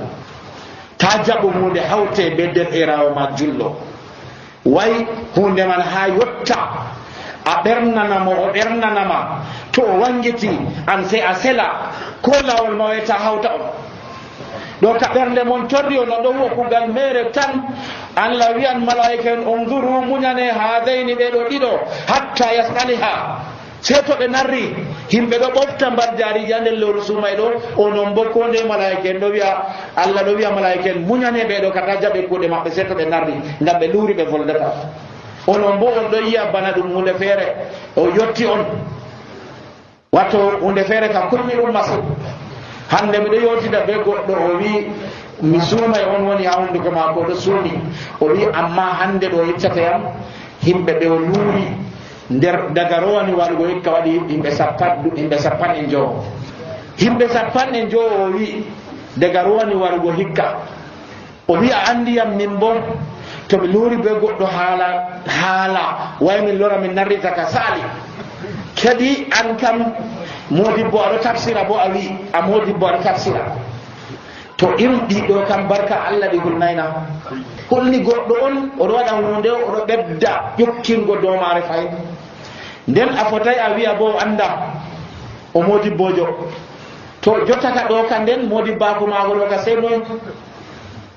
ta jaɓu hunde hawte be derɗirawo ma jullo way hunde man ha yotta a ɓernanamo o ɓernanama to o wangiti an sey a sela ko lawol ma wayta hawta on ɗo ka ɓernde mon torri o no ɗo wo kugal mere tan Allah wiyan malaika en unzuru muñane hadayni ɓeɗo ɗiɗo hatta yasaliha sey to ɓe narri himɓe ɗo ɓofta mbar jaariji ha nder lewru sumay ɗo onon bo ko nde malaika en ɗo wiya Allah ɗo wiya malaika en muñane ɓeɗo kata jaɓe kuuɗe maɓɓe seto ɓe narri ngam ɓe luuri ɓe voldata. Onon bo on ɗo yiya bana ɗum hunde feere o yotti on watto hunde feere ka kulmi ɗum masin. Hande miɗo yewtida be goɗɗo o wi mi suumay on woni ha hunduko maako ɗo suumi o wi amma hande ɗo yeccata yam himɓe ɓe o luuri nder daga rowani waɗugo hikka waɗi himɓe 50 himɓe 50 o wi daga rowani waɗugo hikka o wi a andi yam min bo to mi luuri be goɗɗo haala way min lora min narrita ka saali kadi an kam modibbo aɗo tafsira bo a wi a modibbo aɗo tafsira to irin ɗiɗo kam barka Allah ɗi hulnayna holni goɗɗo on oɗo waɗa hunde oɗo ɓedda ƴokkingo domare fayin nden a fotay a wiya bo anda o modibbojo to jottaka ɗo ka nden modibbako maako ɗo ka sey noon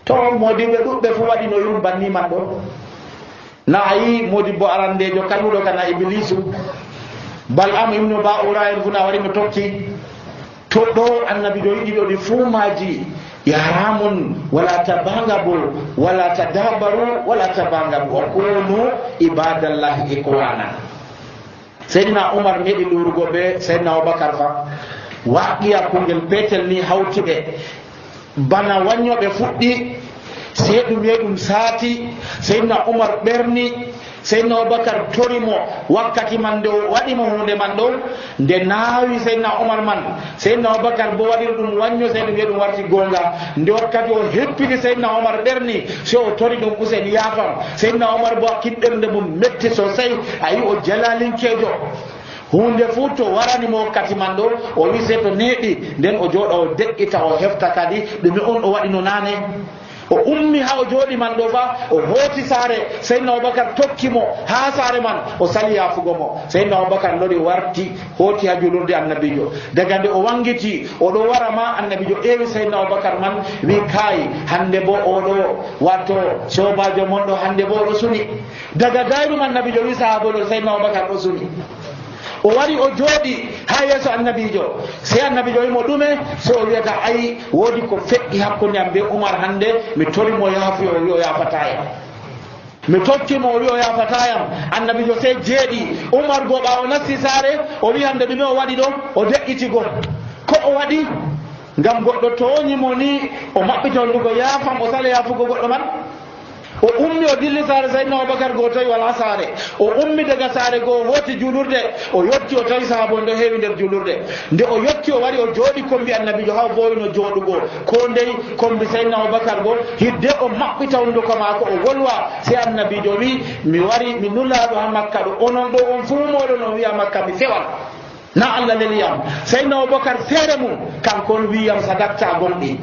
to modibɓe ɗuɓɓe fu waɗi no yum banni man ɗo na a yi modibbo arandejo kañuɗo kana iblisu Bal'am ibnu Ba'ura en funa wari mo tokki to ɗo annabijo yiɗi ɗo ɗi fuumaji yaramun wala tabangabu wala tadabaru wala tabangabu wa kunu ibadallahi ikwana. Seydina Umar meɗi lurugo be Seydina Abubakar fa waqiya kungel petel ni hawtuɓe bana waññoɓe fuɗɗi sey ɗum yehi ɗum saati Seydina Umar ɓerni Seydina Abubakar torimo wakkati man nde waɗimo hunde man ɗo nde naawi Seydina Umar man Seydina Abubakar bo waɗiri ɗum wañño sey ɗum wiye ɗum warti gonga nde wakkati o heppini Seydina Umar ɓerni so o tori ɗum usen yaafam Seydina Umar bo kiɗɗerde mum metti sosai a yi o jalalinkejo hunde fuu to waranimo wakkati man ɗo o wi se to neeɓi nden o jooɗa o deƴƴita o hefta kadi ɗume on o waɗino naane o ummi ha o jooɗi man ɗo fa o hooti saare Seydina Abubakar tokkimo ha saare man o sali yaafugo mo Seydina Abubakar lori warti hooti ha julurde annabijo daga nde o wangiti oɗo wara ma annabijo ƴeewi Seydina Abubakar man wi kaayi hande bo oɗo watto sobajo mon ɗo hande bo oɗo suni daga dayrum annabijo wi sahabaɗo Seydina Abubakar ɗo suni o wari o jooɗi ha yeeso annabijo sey annabijo wimo ɗume so o wiyata ayi woodi ko feƴƴi hakkunde am be Umar hande mi torimo yaafuyo o wi o yafatayam mi tokkimo o wi o yafatayam annabijo sey jeeɗi Umar go ɓawo nasti saare o wi hande ɗume o waɗi ɗo o deƴƴitigo ko o waɗi ngam goɗɗo toñimo ni o maɓɓita hondugo yaafam o sala yaafugo goɗɗo man o ummi o dilli saare Seydina Abubakar go tawi wala saare o ummi daga saare go hooti julurde o yotti o tawi sahaabo ndo heewi nder julurde nde o yotti o wari o jooɗi kombi annabijo ha bowino jooɗugo ko ndey kombi Seydina Abubakar go hidde o maɓɓita hunduko maako o wolwa sey annabijo wi mi wari mi nullaɗo ha Makka ɗo onon ɗo on fuu moɗon on wiya Makka mi fewal na Allah leliyam Seydina Abubakar feere mum kankon wiyam sadakta gonɗi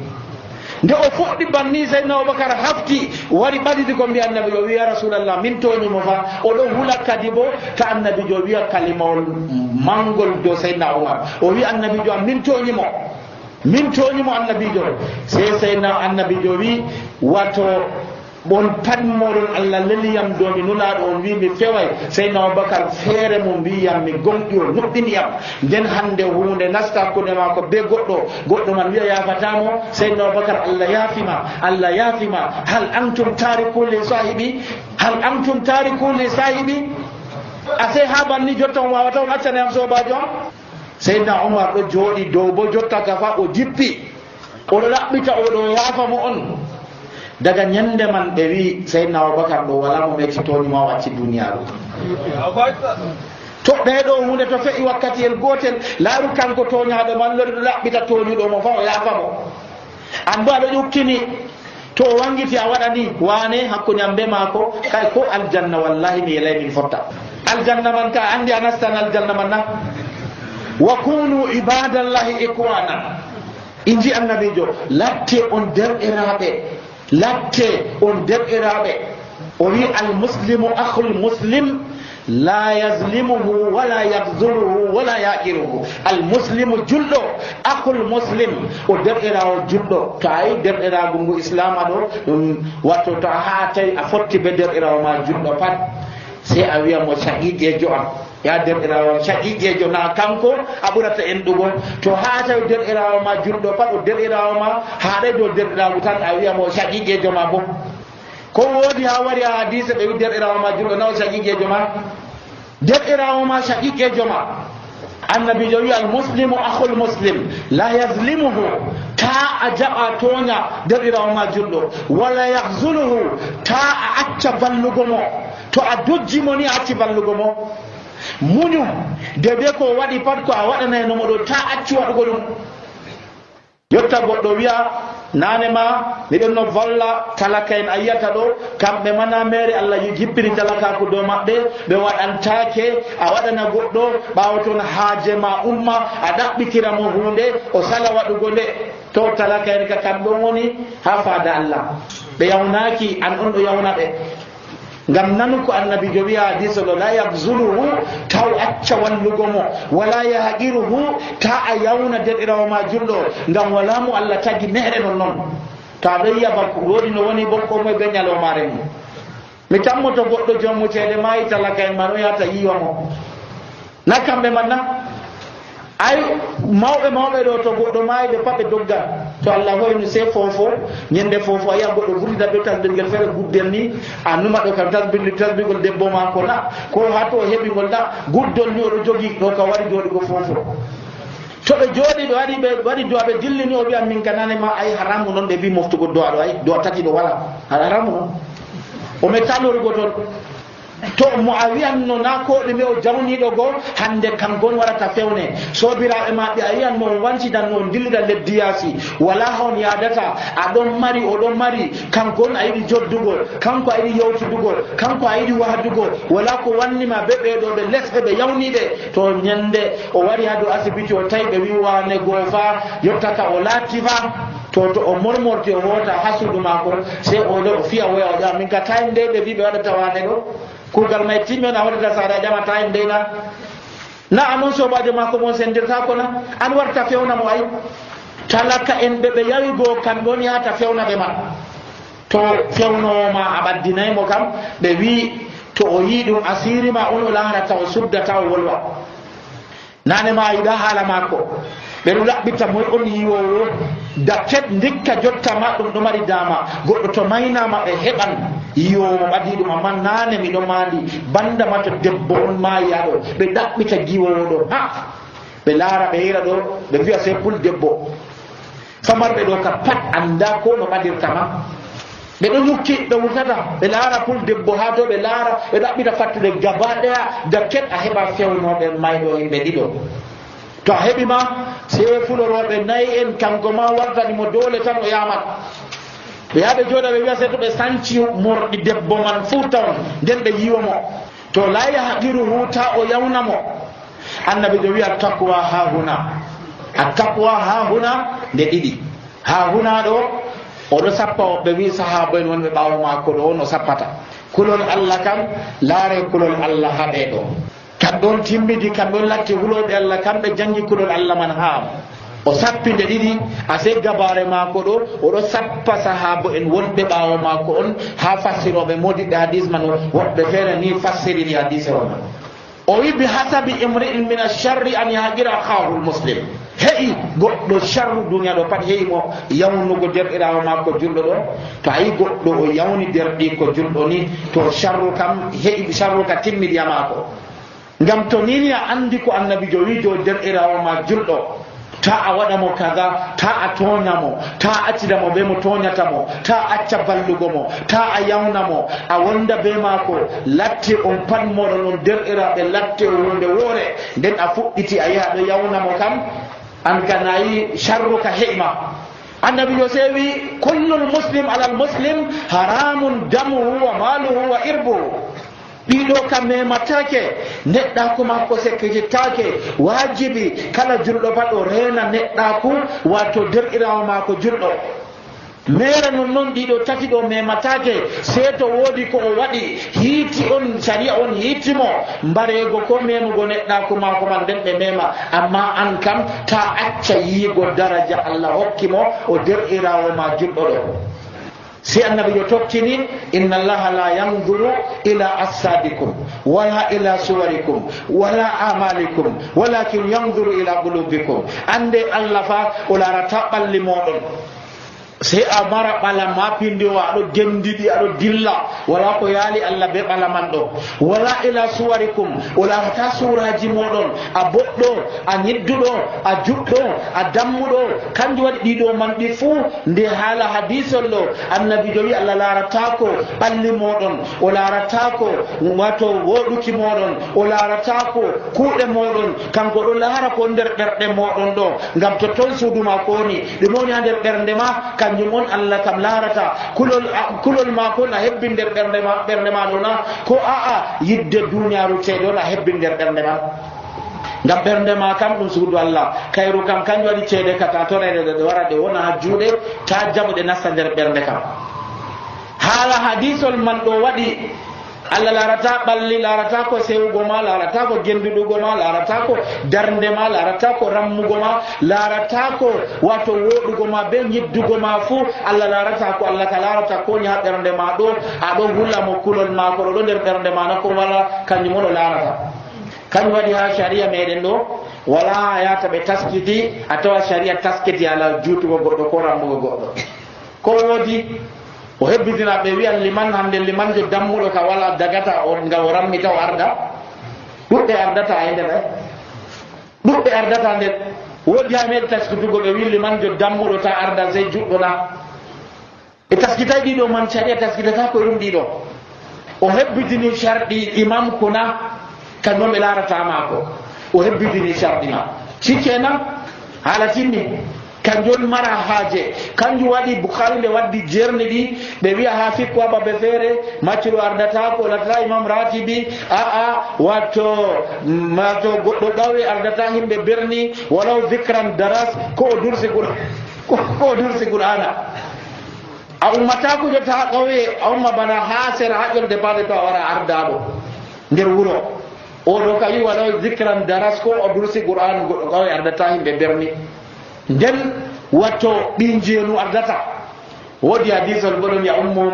nde o fuɗɗi banni Seydina Abubakar hafti wari ɓadidi ko mbiya annabijo wiya rasulallah min toñimo fa oɗo hula kadi bo ta annabijo wiya kalimawol mangol dow Seydina Umar o wi annabijo am min toñimo annabijo sey Seydina annabijo wi wato bon pat moɗon Allah leliyam do mi nulaɗo on wi mi feway Seydina Abubakar feere mum wiyam mi gonɗi o nuɗɗiniyam nden hande hunde nasta hakkude mako be goɗɗo man wiya yafatamo Seydina Abubakar Allah yaafima hal antum tariku li sahibi ase ha banni jotta on wawata on accane am sobajo am Seydina Umar ɗo jooɗi dow bo jotta ka fa o jippi oɗo ɗaɓɓita oɗo yaafamo on daga nyande man ɓe wi Seydina Abubakar ɗo wala mo meti toñima wacci duniyaru to ɓeɗo hunde to fe'i wakkati el gotel laaru kanko toñaɗo man lori ɗo laɓɓita toñuɗo mo fa o yaafamo an bo aɗo ƴukkini to o wangiti a waɗani wane hakkude am be maako kay ko aljanna wallahi mi yelay min fotta aljanna man ka andi a nastan aljanna man na wa kunu ibadallahi ikwana inji annabijo latte on derɗiraɓe o wi almuslimu akhul muslim la yazlimuhu wala yahzuluhu wala yaqiruhu almuslimu julɗo akhul muslim o derɗirawo julɗo to ayi derɗirago ngu islama ɗo ɗum watto to a ha tawi a fotti be derɗirawo ma julɗo pat sey a wiya mo shahidejo am ya derɗirawo shaqiqejo na kanko a ɓurata enɗugo to ha tawi derɗirawo ma julɗo pat o derɗirawo ma haɗay dow derɗirawo tan a wiyamo shaqiqejo ma bo ko woodi ha wari ha hadise ɓe wi derɗirawo ma julɗo naw shaqiqejo ma derɗirawo ma shaqiqejo ma annabijo wi al muslimu akhul muslim la yazlimuhu ta a jaɓa toña derɗirawo ma julɗo wala yahzuluhu ta a acca ballugo mo to a dojjimo ni a acci ballugo mo muñu dede ko waɗi pat ko a waɗanaynomo ɗo ta acci waɗugo ɗum yotta goɗɗo wiya nanema miɗon no valla talaka en a yiyata ɗo kamɓe mana mere Allah jippini talakaku dow maɓɓe ɓe waɗantake a waɗana goɗɗo ɓawo toon haaje ma umma a ɗaɓɓitiramo hunde o sala waɗugo nde to talaka en ka kamɓe woni ha faada Allah ɓe yawnaki an on ɗo yawna ɓe ngam nanu ko annabijo wiya hadise ɗo la yahzuluhu taw acca wallugo mo wala yahqiruhu ta a yawna derɗirawo ma julɗo ngam wala mo Allah tagi neɗe non noon to aɗo yiya bakko woɗi no woni bokko moye ɓe ñalomare mum mi tammoto goɗɗo jommutede mayi talaka en man o yahata yiwa mo na kamɓe man na ay mawɓe ɗo to goɗɗo mayi ɓe pat ɓe dogga to Allah hoyni se fofo ñande fofo a yiya goɗɗo vurtida ɓe tasbirgel feere guddel ni a numa ɗo kam tasbirgol debbo mako na ko ha to o heɓigol na guddol ni oɗo jogi ɗo ka wari joɗigo fofo to ɓe jooɗi ɓe waɗi do'a ɓe dillini o wiya min kanane ma ay haramu noon ɓe mbi moftugo do'a ɗo ay do'a tati ɗo wala haramu noon o metta lorgo toon to mo a wiyanno na ko ɗume o jawniɗo goo hande kam gon warata fewne sobiraɓe maɓɓe a yiyanmo on wancidan on dillida leddi yaasi wala hon yadata aɗon mari oɗon mari kankon a yiɗi joddugo kanko a yiɗi yewtudugol kanko a yiɗi wahdugo wala ko wannima ɓe ɓeɗo ɓe lesɓe ɓe yawniɗe to ñande o wari ha dow asibiti o tawi ɓe wi wane goo fa yottata o laatti fa to o mormorti o hoota ha suudu mako se o fiya woya o ƴama min ka tawi nde ɓe wi ɓe waɗata wane ɗo kugal may timmen a waɗata saare a ƴamata en ndeyna na anon sobajo mako mon sendirtako na an warta fewna mo ay talaka en ɓe yawi goo kamɓe woni yahata fewna ɓe ma to fewnowoma a ɓaddinaymo kam ɓe wi to o yi ɗum asiri ma on o larata o suddata o wolwa nane ma yiɗa haala mako ɓe ɗo laɓɓita moy on yiwowo dakket ndikka jotta ma ɗum ɗo mari dama goɗɗo to maynama ɓe heɓan yiwowo ɓadi ɗum amma nane miɗo mandi banda ma to debbo on mayiyaɗo ɓe ɗaɓɓita giwowo ɗo ha ɓe laara ɓe hira ɗo ɓe wiya se pul debbo famarɓe ɗo ka pat anda ko no ɓadirtama ɓe ɗo ñukki ɓe wurtata ɓe laara pul debbo ha to ɓe laara ɓe ɗaɓɓita fattude gaba ɗaya dakket a heɓa fewnoɓe mayɗo yimɓe ɗiɗo to a heɓima se fuloroɓe nayi en kanko ma wartanimo dole tan o yamat ɓe yaɓe jooɗa ɓe wiya se to ɓe sanci morɗi debbo man fuu tawn nden ɓe yiwa mo to la yahqiruhu ta o yawnamo annabijo wiya taqwa ha huna a taqwa ha huna nde ɗiɗi ha huna ɗo oɗo sappa o ɓe wi sahaba en wonɓe ɓawo mako ɗo no sappata kulol Allah kam laare kulol Allah ha ɓeɗo kamɓe timmidi kamɓe latti huloɓe Allah kamɓe jangi kulol Allah man ha o sappi nde ɗiɗi ase gabare mako ɗo oɗo sappa sahaba en wonɓe ɓawo mako on ha fassiroɓe modiɓɓe hadis man woɓɓe feere ni fassiriri hadise o man o wi bi hasabi imri'in min alsharri an yahqira akhahu lmuslim heƴi goɗɗo sharru duniya ɗo pat heƴimo yawnugo derɗirawo makko julɗo ɗo to ayi goɗɗo o yawni derɗi ko julɗo ni to sharru kam heƴi sharru ka timmidiya mako ngam to nini a andi ko annabijo wijo derɗirawo ma julɗo ta a waɗamo kaga ta a toñamo ta a accidamo be mo toñatamo ta a acca ballugo mo ta a yawnamo a wonda be mako latte on pat moɗon on derɗiraɓe latte hunde woore nden a fuɗɗiti a yaha ɗo yawnamo kam an kanayi sharru ka heƴma annabijo se wi kullul muslim alal muslim haramun damuhu wa maluhu wa irbuhu ɗiɗo kam mematake neɗɗaku makko sekkitittake wajibi kala julɗo pat o rena neɗɗaku wato derɗirawo mako julɗo mere non ɗiɗo tati ɗo mematake se to woodi ko o waɗi hiiti on sharia on hiitimo mbarego ko memugo neɗɗaku mako man nden ɓe mema amma an kam ta acca yiigo daraja Allah hokkimo o derɗirawo ma julɗo ɗo si annabijo tokkini inna allaha la yanzuru ila asadikum wala ila suwarikum wala amalikum walakin yanzuru ila qulubikum. ande allah fa o larata ɓalli moɗon sey a mara ɓala ma pindiwa aɗo gendiɗi aɗo dilla wala ko yaali allah be ɓala man ɗo. wala ila suwarikum o larata suraji moɗon a boɗɗo a ñidduɗo a juɗɗo a dammuɗo kanjum waɗi ɗiɗo man ɗi fuu nde haala hadisol ɗo annabijo wi allah laratako ɓalli moɗon o laratako wato woɗuki moɗon o laratako kuuɗe moɗon kanko ɗo laara ko nder ɓerɗe moɗon ɗo ngam to ton suuduma ko woni ɗum woni ha nder ɓernde ma kanjum on allah kam larata kulol ma kon a hebbi nder ɓernde ma ɗo na ko a'a yidde duniyaru ceeɗe on a hebbi nder ɓernde ma ngam ɓernde ma kam ɗum suudu allah kayru kam kanjum waɗi ceeɗe kata torede ɗe wara ɗe wona ha juuɗe ta jaɓu ɗe nasta nder ɓernde kam. haala hadisol man ɗo waɗi allah larata ɓalli larata ko sewugo ma larata ko genduɗugo ma larata ko darnde ma larata ko rammugo ma larata ko wato woɗugo ma be ñiddugo ma fuu allah larata ko allah ka larata ko ni ha ɓernde ma ɗo aɗo hulla mo kulol ma ko ɗo nder ɓernde ma na ko wala kanjum on o larata. kanjum waɗi ha sharia meɗen ɗo wala yata ɓe taskiti a tawa sharia taskiti ala juutugo goɗɗo ko rammugo goɗɗo ko woodi o hebbitina ɓe wiyan liman hande limanjo dammuɗo ka wala dagata on nga o rammita o arda ɗuɗɓe ardata e nder ɗuɗɓe ardata nder woodi ha meɗe taskitugo ɓe wi limanjo dammuɗo ta arda sey juɗɗo na e taskitay ɗiɗo man caɗia taskitata ko ɗum ɗiɗo o hebbitini sharɗi imam kuna kanjum ɓe larata maako o hebbitini sharɗi ma sikkenan haala tinni kanjum mara haaje kanjum waɗi boukhari nde waddi jerni ɗi ɓe wiya ha fikku ababe feere maccuɗo ardata ko latata imam ratibi aa wato goɗɗo ɗawe ardata himɓe berni walaw dicran daras ko o dursi qur'ana a ummata ko jota ha ƙawe a umma bana ha sera ha ƴolde bade to a wara ardaɗo nder wuro oɗo ka wi walaw dicran daras ko o dursi qur'an goɗɗo ƙawe ardata himɓe berni nden watto ɗin jeenu ardata woodi hadisol goɗon ya ummuhum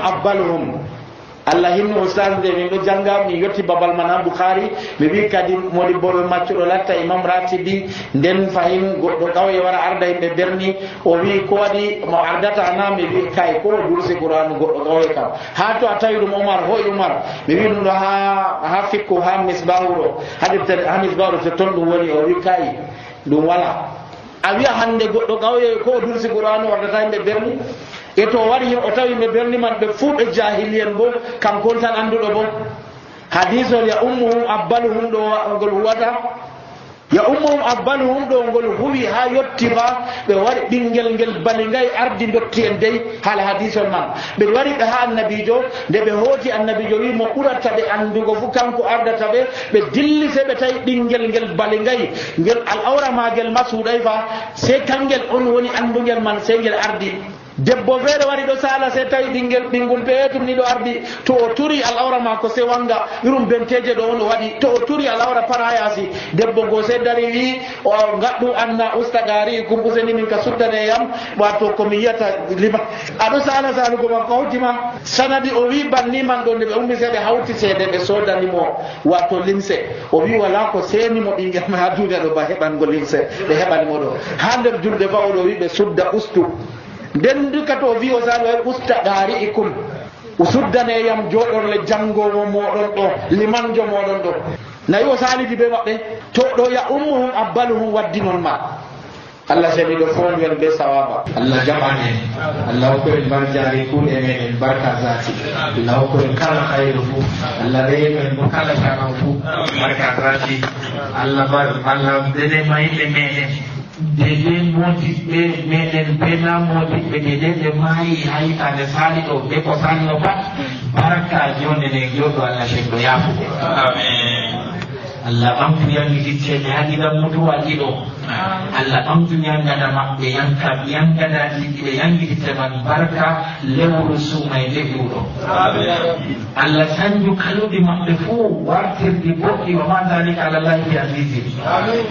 abbaluhum allah hinno ustad nde min ɗo janga min yetti babal man ha boukhari mi wi kadi modi boɗo maccuɗo latta imam ratibi nden fayin goɗɗo ƙawye wara arda yimɓe berni o wi ko waɗi mo ardata na mi wi kay ko dursi qur'an goɗɗo ƙawye kam ha to a tawi ɗum omar hoy umar mi wi ɗum ɗo ha fikku ha misbahu ɗo ha misbahu to ton ɗum woni o wi kay ɗum wala a wiya hande goɗɗo ƙawye ko dursi qur'an wardata yimɓe berni e to wari o tawi ɓe berni man ɓe fuu ɓe jahiliyen bo kankon tan annduɗo bo hadisol ya ummuhum abbaluhum ɗo ngol huwata ya ummuhum abbaluhum ɗo ngol huwi ha yettima ɓe wari ɓinguel ngel bali ngay ardi dotti en dey haala hadisol man ɓe wari ɓe ha annabijo nde ɓe hooti annabijo wi mo ɓurata ɓe andugo fu kanko ardata ɓe dilli se ɓe tawi ɓinguel ngel bali ngay ngel al awra magel ma suuɗay fa se kangel on woni andugel man se ngel ardi debbo feere wari ɗo sala se tawi ɓingol peetum ni ɗo ardi to o turi al awra ma ko se wanga irum benteje ɗo on o waɗi to o turi al awra para yasi debbo go se dari wi o gaɗɗu anna ustagari kum useni min ka suddane yam wato komi yiyata lima aɗo sala salugo ma ko hawtima sanadi o wi banni man ɗo nde ɓe ummi se ɓe hawti seede ɓe sodanimo wato limse o wi wala ko senimo ɓinguel ma ha duniya ɗo ba heɓango limse ɓe heɓanimo ɗo ha nder julde ba oɗo wi ɓe sudda ustu nden duka to wi o sali way usta ɗaari ikum o suddaneyam joɗorle jangowo moɗon ɗo limanjo moɗon ɗo nayi o salidi be maɓɓe to ɗo ya ummuhum abbaluhum waddi noon ma allah seni ɗo fonwen be sawaba allah jaɓane allah hokkoen barjari kuuɗe meɗen barka zati allah hokkoen kala hayru fu allah remen bo kala canan fu barka zati allah denema yimɓe meɗen dede modiɓɓe meɗen bena modiɓɓe dede ɓe maayi ha hitande sali ɗo ɓe ko salino pat barka jonde nde joɗo allah cekɗo yafugo Allah ɓamtu yangititteɓe haɗiɗan mutuwaji ɗo Allah ɓamtu yangada maɓɓe yangadaji ɓe yangititte man barka lewru sumay leƴuɗo Allah sanju kaluɗi maɓɓe fuu wartirdi boɗɗi wa ma dalika ala llahi bi azizi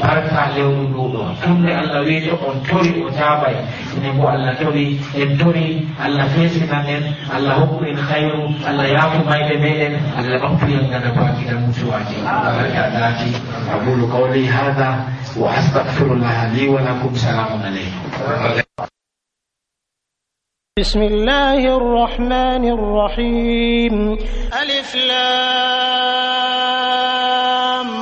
barka lewru nduɗo tumde Allah weeto on tori o jabay ene bo Allah tori en tori Allah fesinan en Allah hokku en khayru Allah yaafu mayde meɗen Allah ɓamtu yangada bakiɗan mutuwaji barka dati أقول قولي هذا وأستغفر الله لي ولكم سلام عليكم بسم الله الرحمن الرحيم ألف لام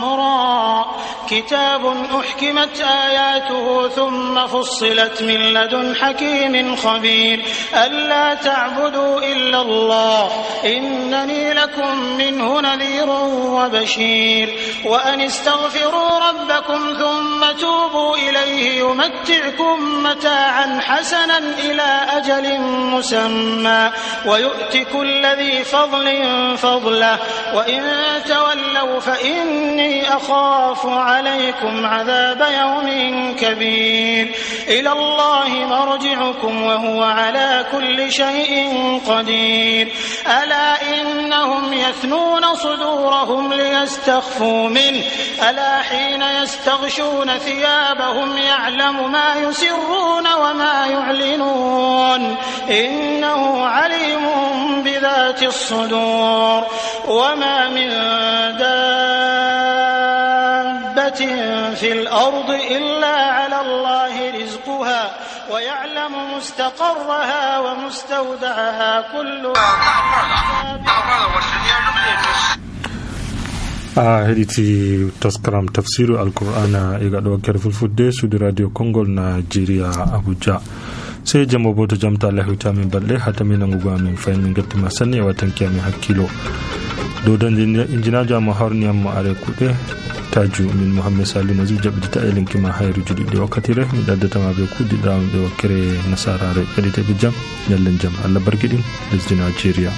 را كتاب أحكمت آياته ثم فصلت من لدن حكيم خبير ألا تعبدوا إلا الله إنني لكم منه نذير وبشير وأن استغفروا ربكم ثم توبوا إليه يمتعكم متاعا حسنا إلى أجل مسمى ويؤت كل ذي فضل فضله وإن تولوا فإني أخاف عليكم عذاب يوم كبير إلى الله مرجعكم وهو على كل شيء قدير ألا إنهم يثنون صدورهم ليستخفوا منه ألا حين يستغشون ثيابهم يعلم ما يسرون وما يعلنون إنه عليم بذات الصدور وما من دابة في الأرض إلا على الله رزقها ويعلم مستقرها ومستودعها كل heɗiti taskaram tafsiru alqur'ana e gaɗo wakkere fulfudde suudu radio kongol nigeria abuja sey jambo bo to jamta allah hewtami balɗe hatami nangugo amin fayin min gettima sanni e wattanki amin hakkilo dow dañde injinajo amo harniyammo are kuɗe taju min Muhammad Salih Nazir jaɓɓitita e linkima hayru juɗiɗi wakkatire mi ɗaddatama ɓe kuɗɗiɗam ɓe wakkere nasarare heɗiteɓe jam ñallen jam Allah barkiɗin lesdi Nigeria.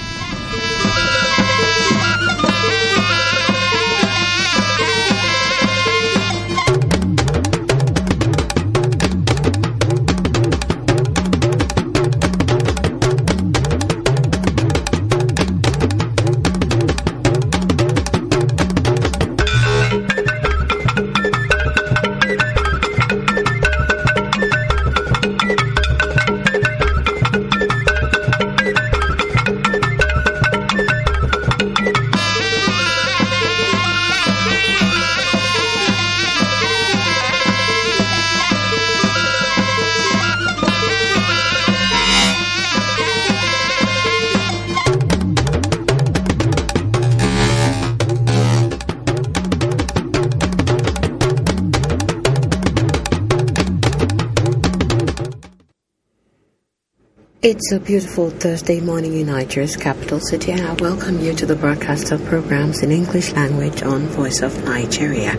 It's a beautiful Thursday morning in Nigeria's capital city, and I welcome you to the broadcast of programs in English language on Voice of Nigeria.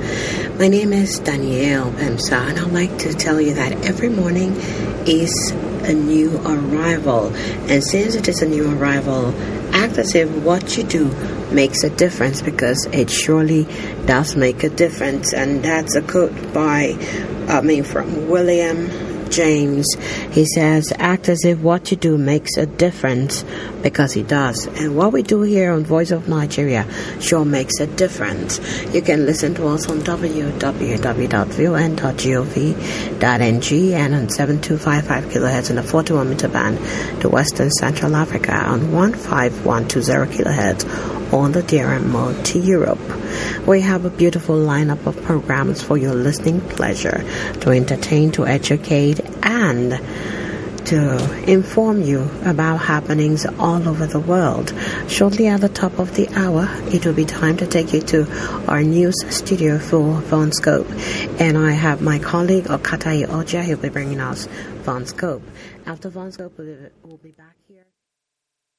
My name is Danielle Bemsa, and I'd like to tell you that every morning is a new arrival. And since it is a new arrival, act as if what you do makes a difference, because it surely does make a difference. And that's a quote from William James. He says, act as if what you do makes a difference, because it does. And what we do here on Voice of Nigeria sure makes a difference. You can listen to us on www.von.gov.ng and on 7255 kilohertz in the 41 meter band to Western Central Africa, on 15120 kilohertz on the DRM mode to Europe. We have a beautiful lineup of programs for your listening pleasure, to entertain, to educate, and to inform you about happenings all over the world. Shortly at the top of the hour, it will be time to take you to our news studio for VonScope. And I have my colleague Okatai Oja, who will be bringing us VonScope. After VonScope, we'll be back here.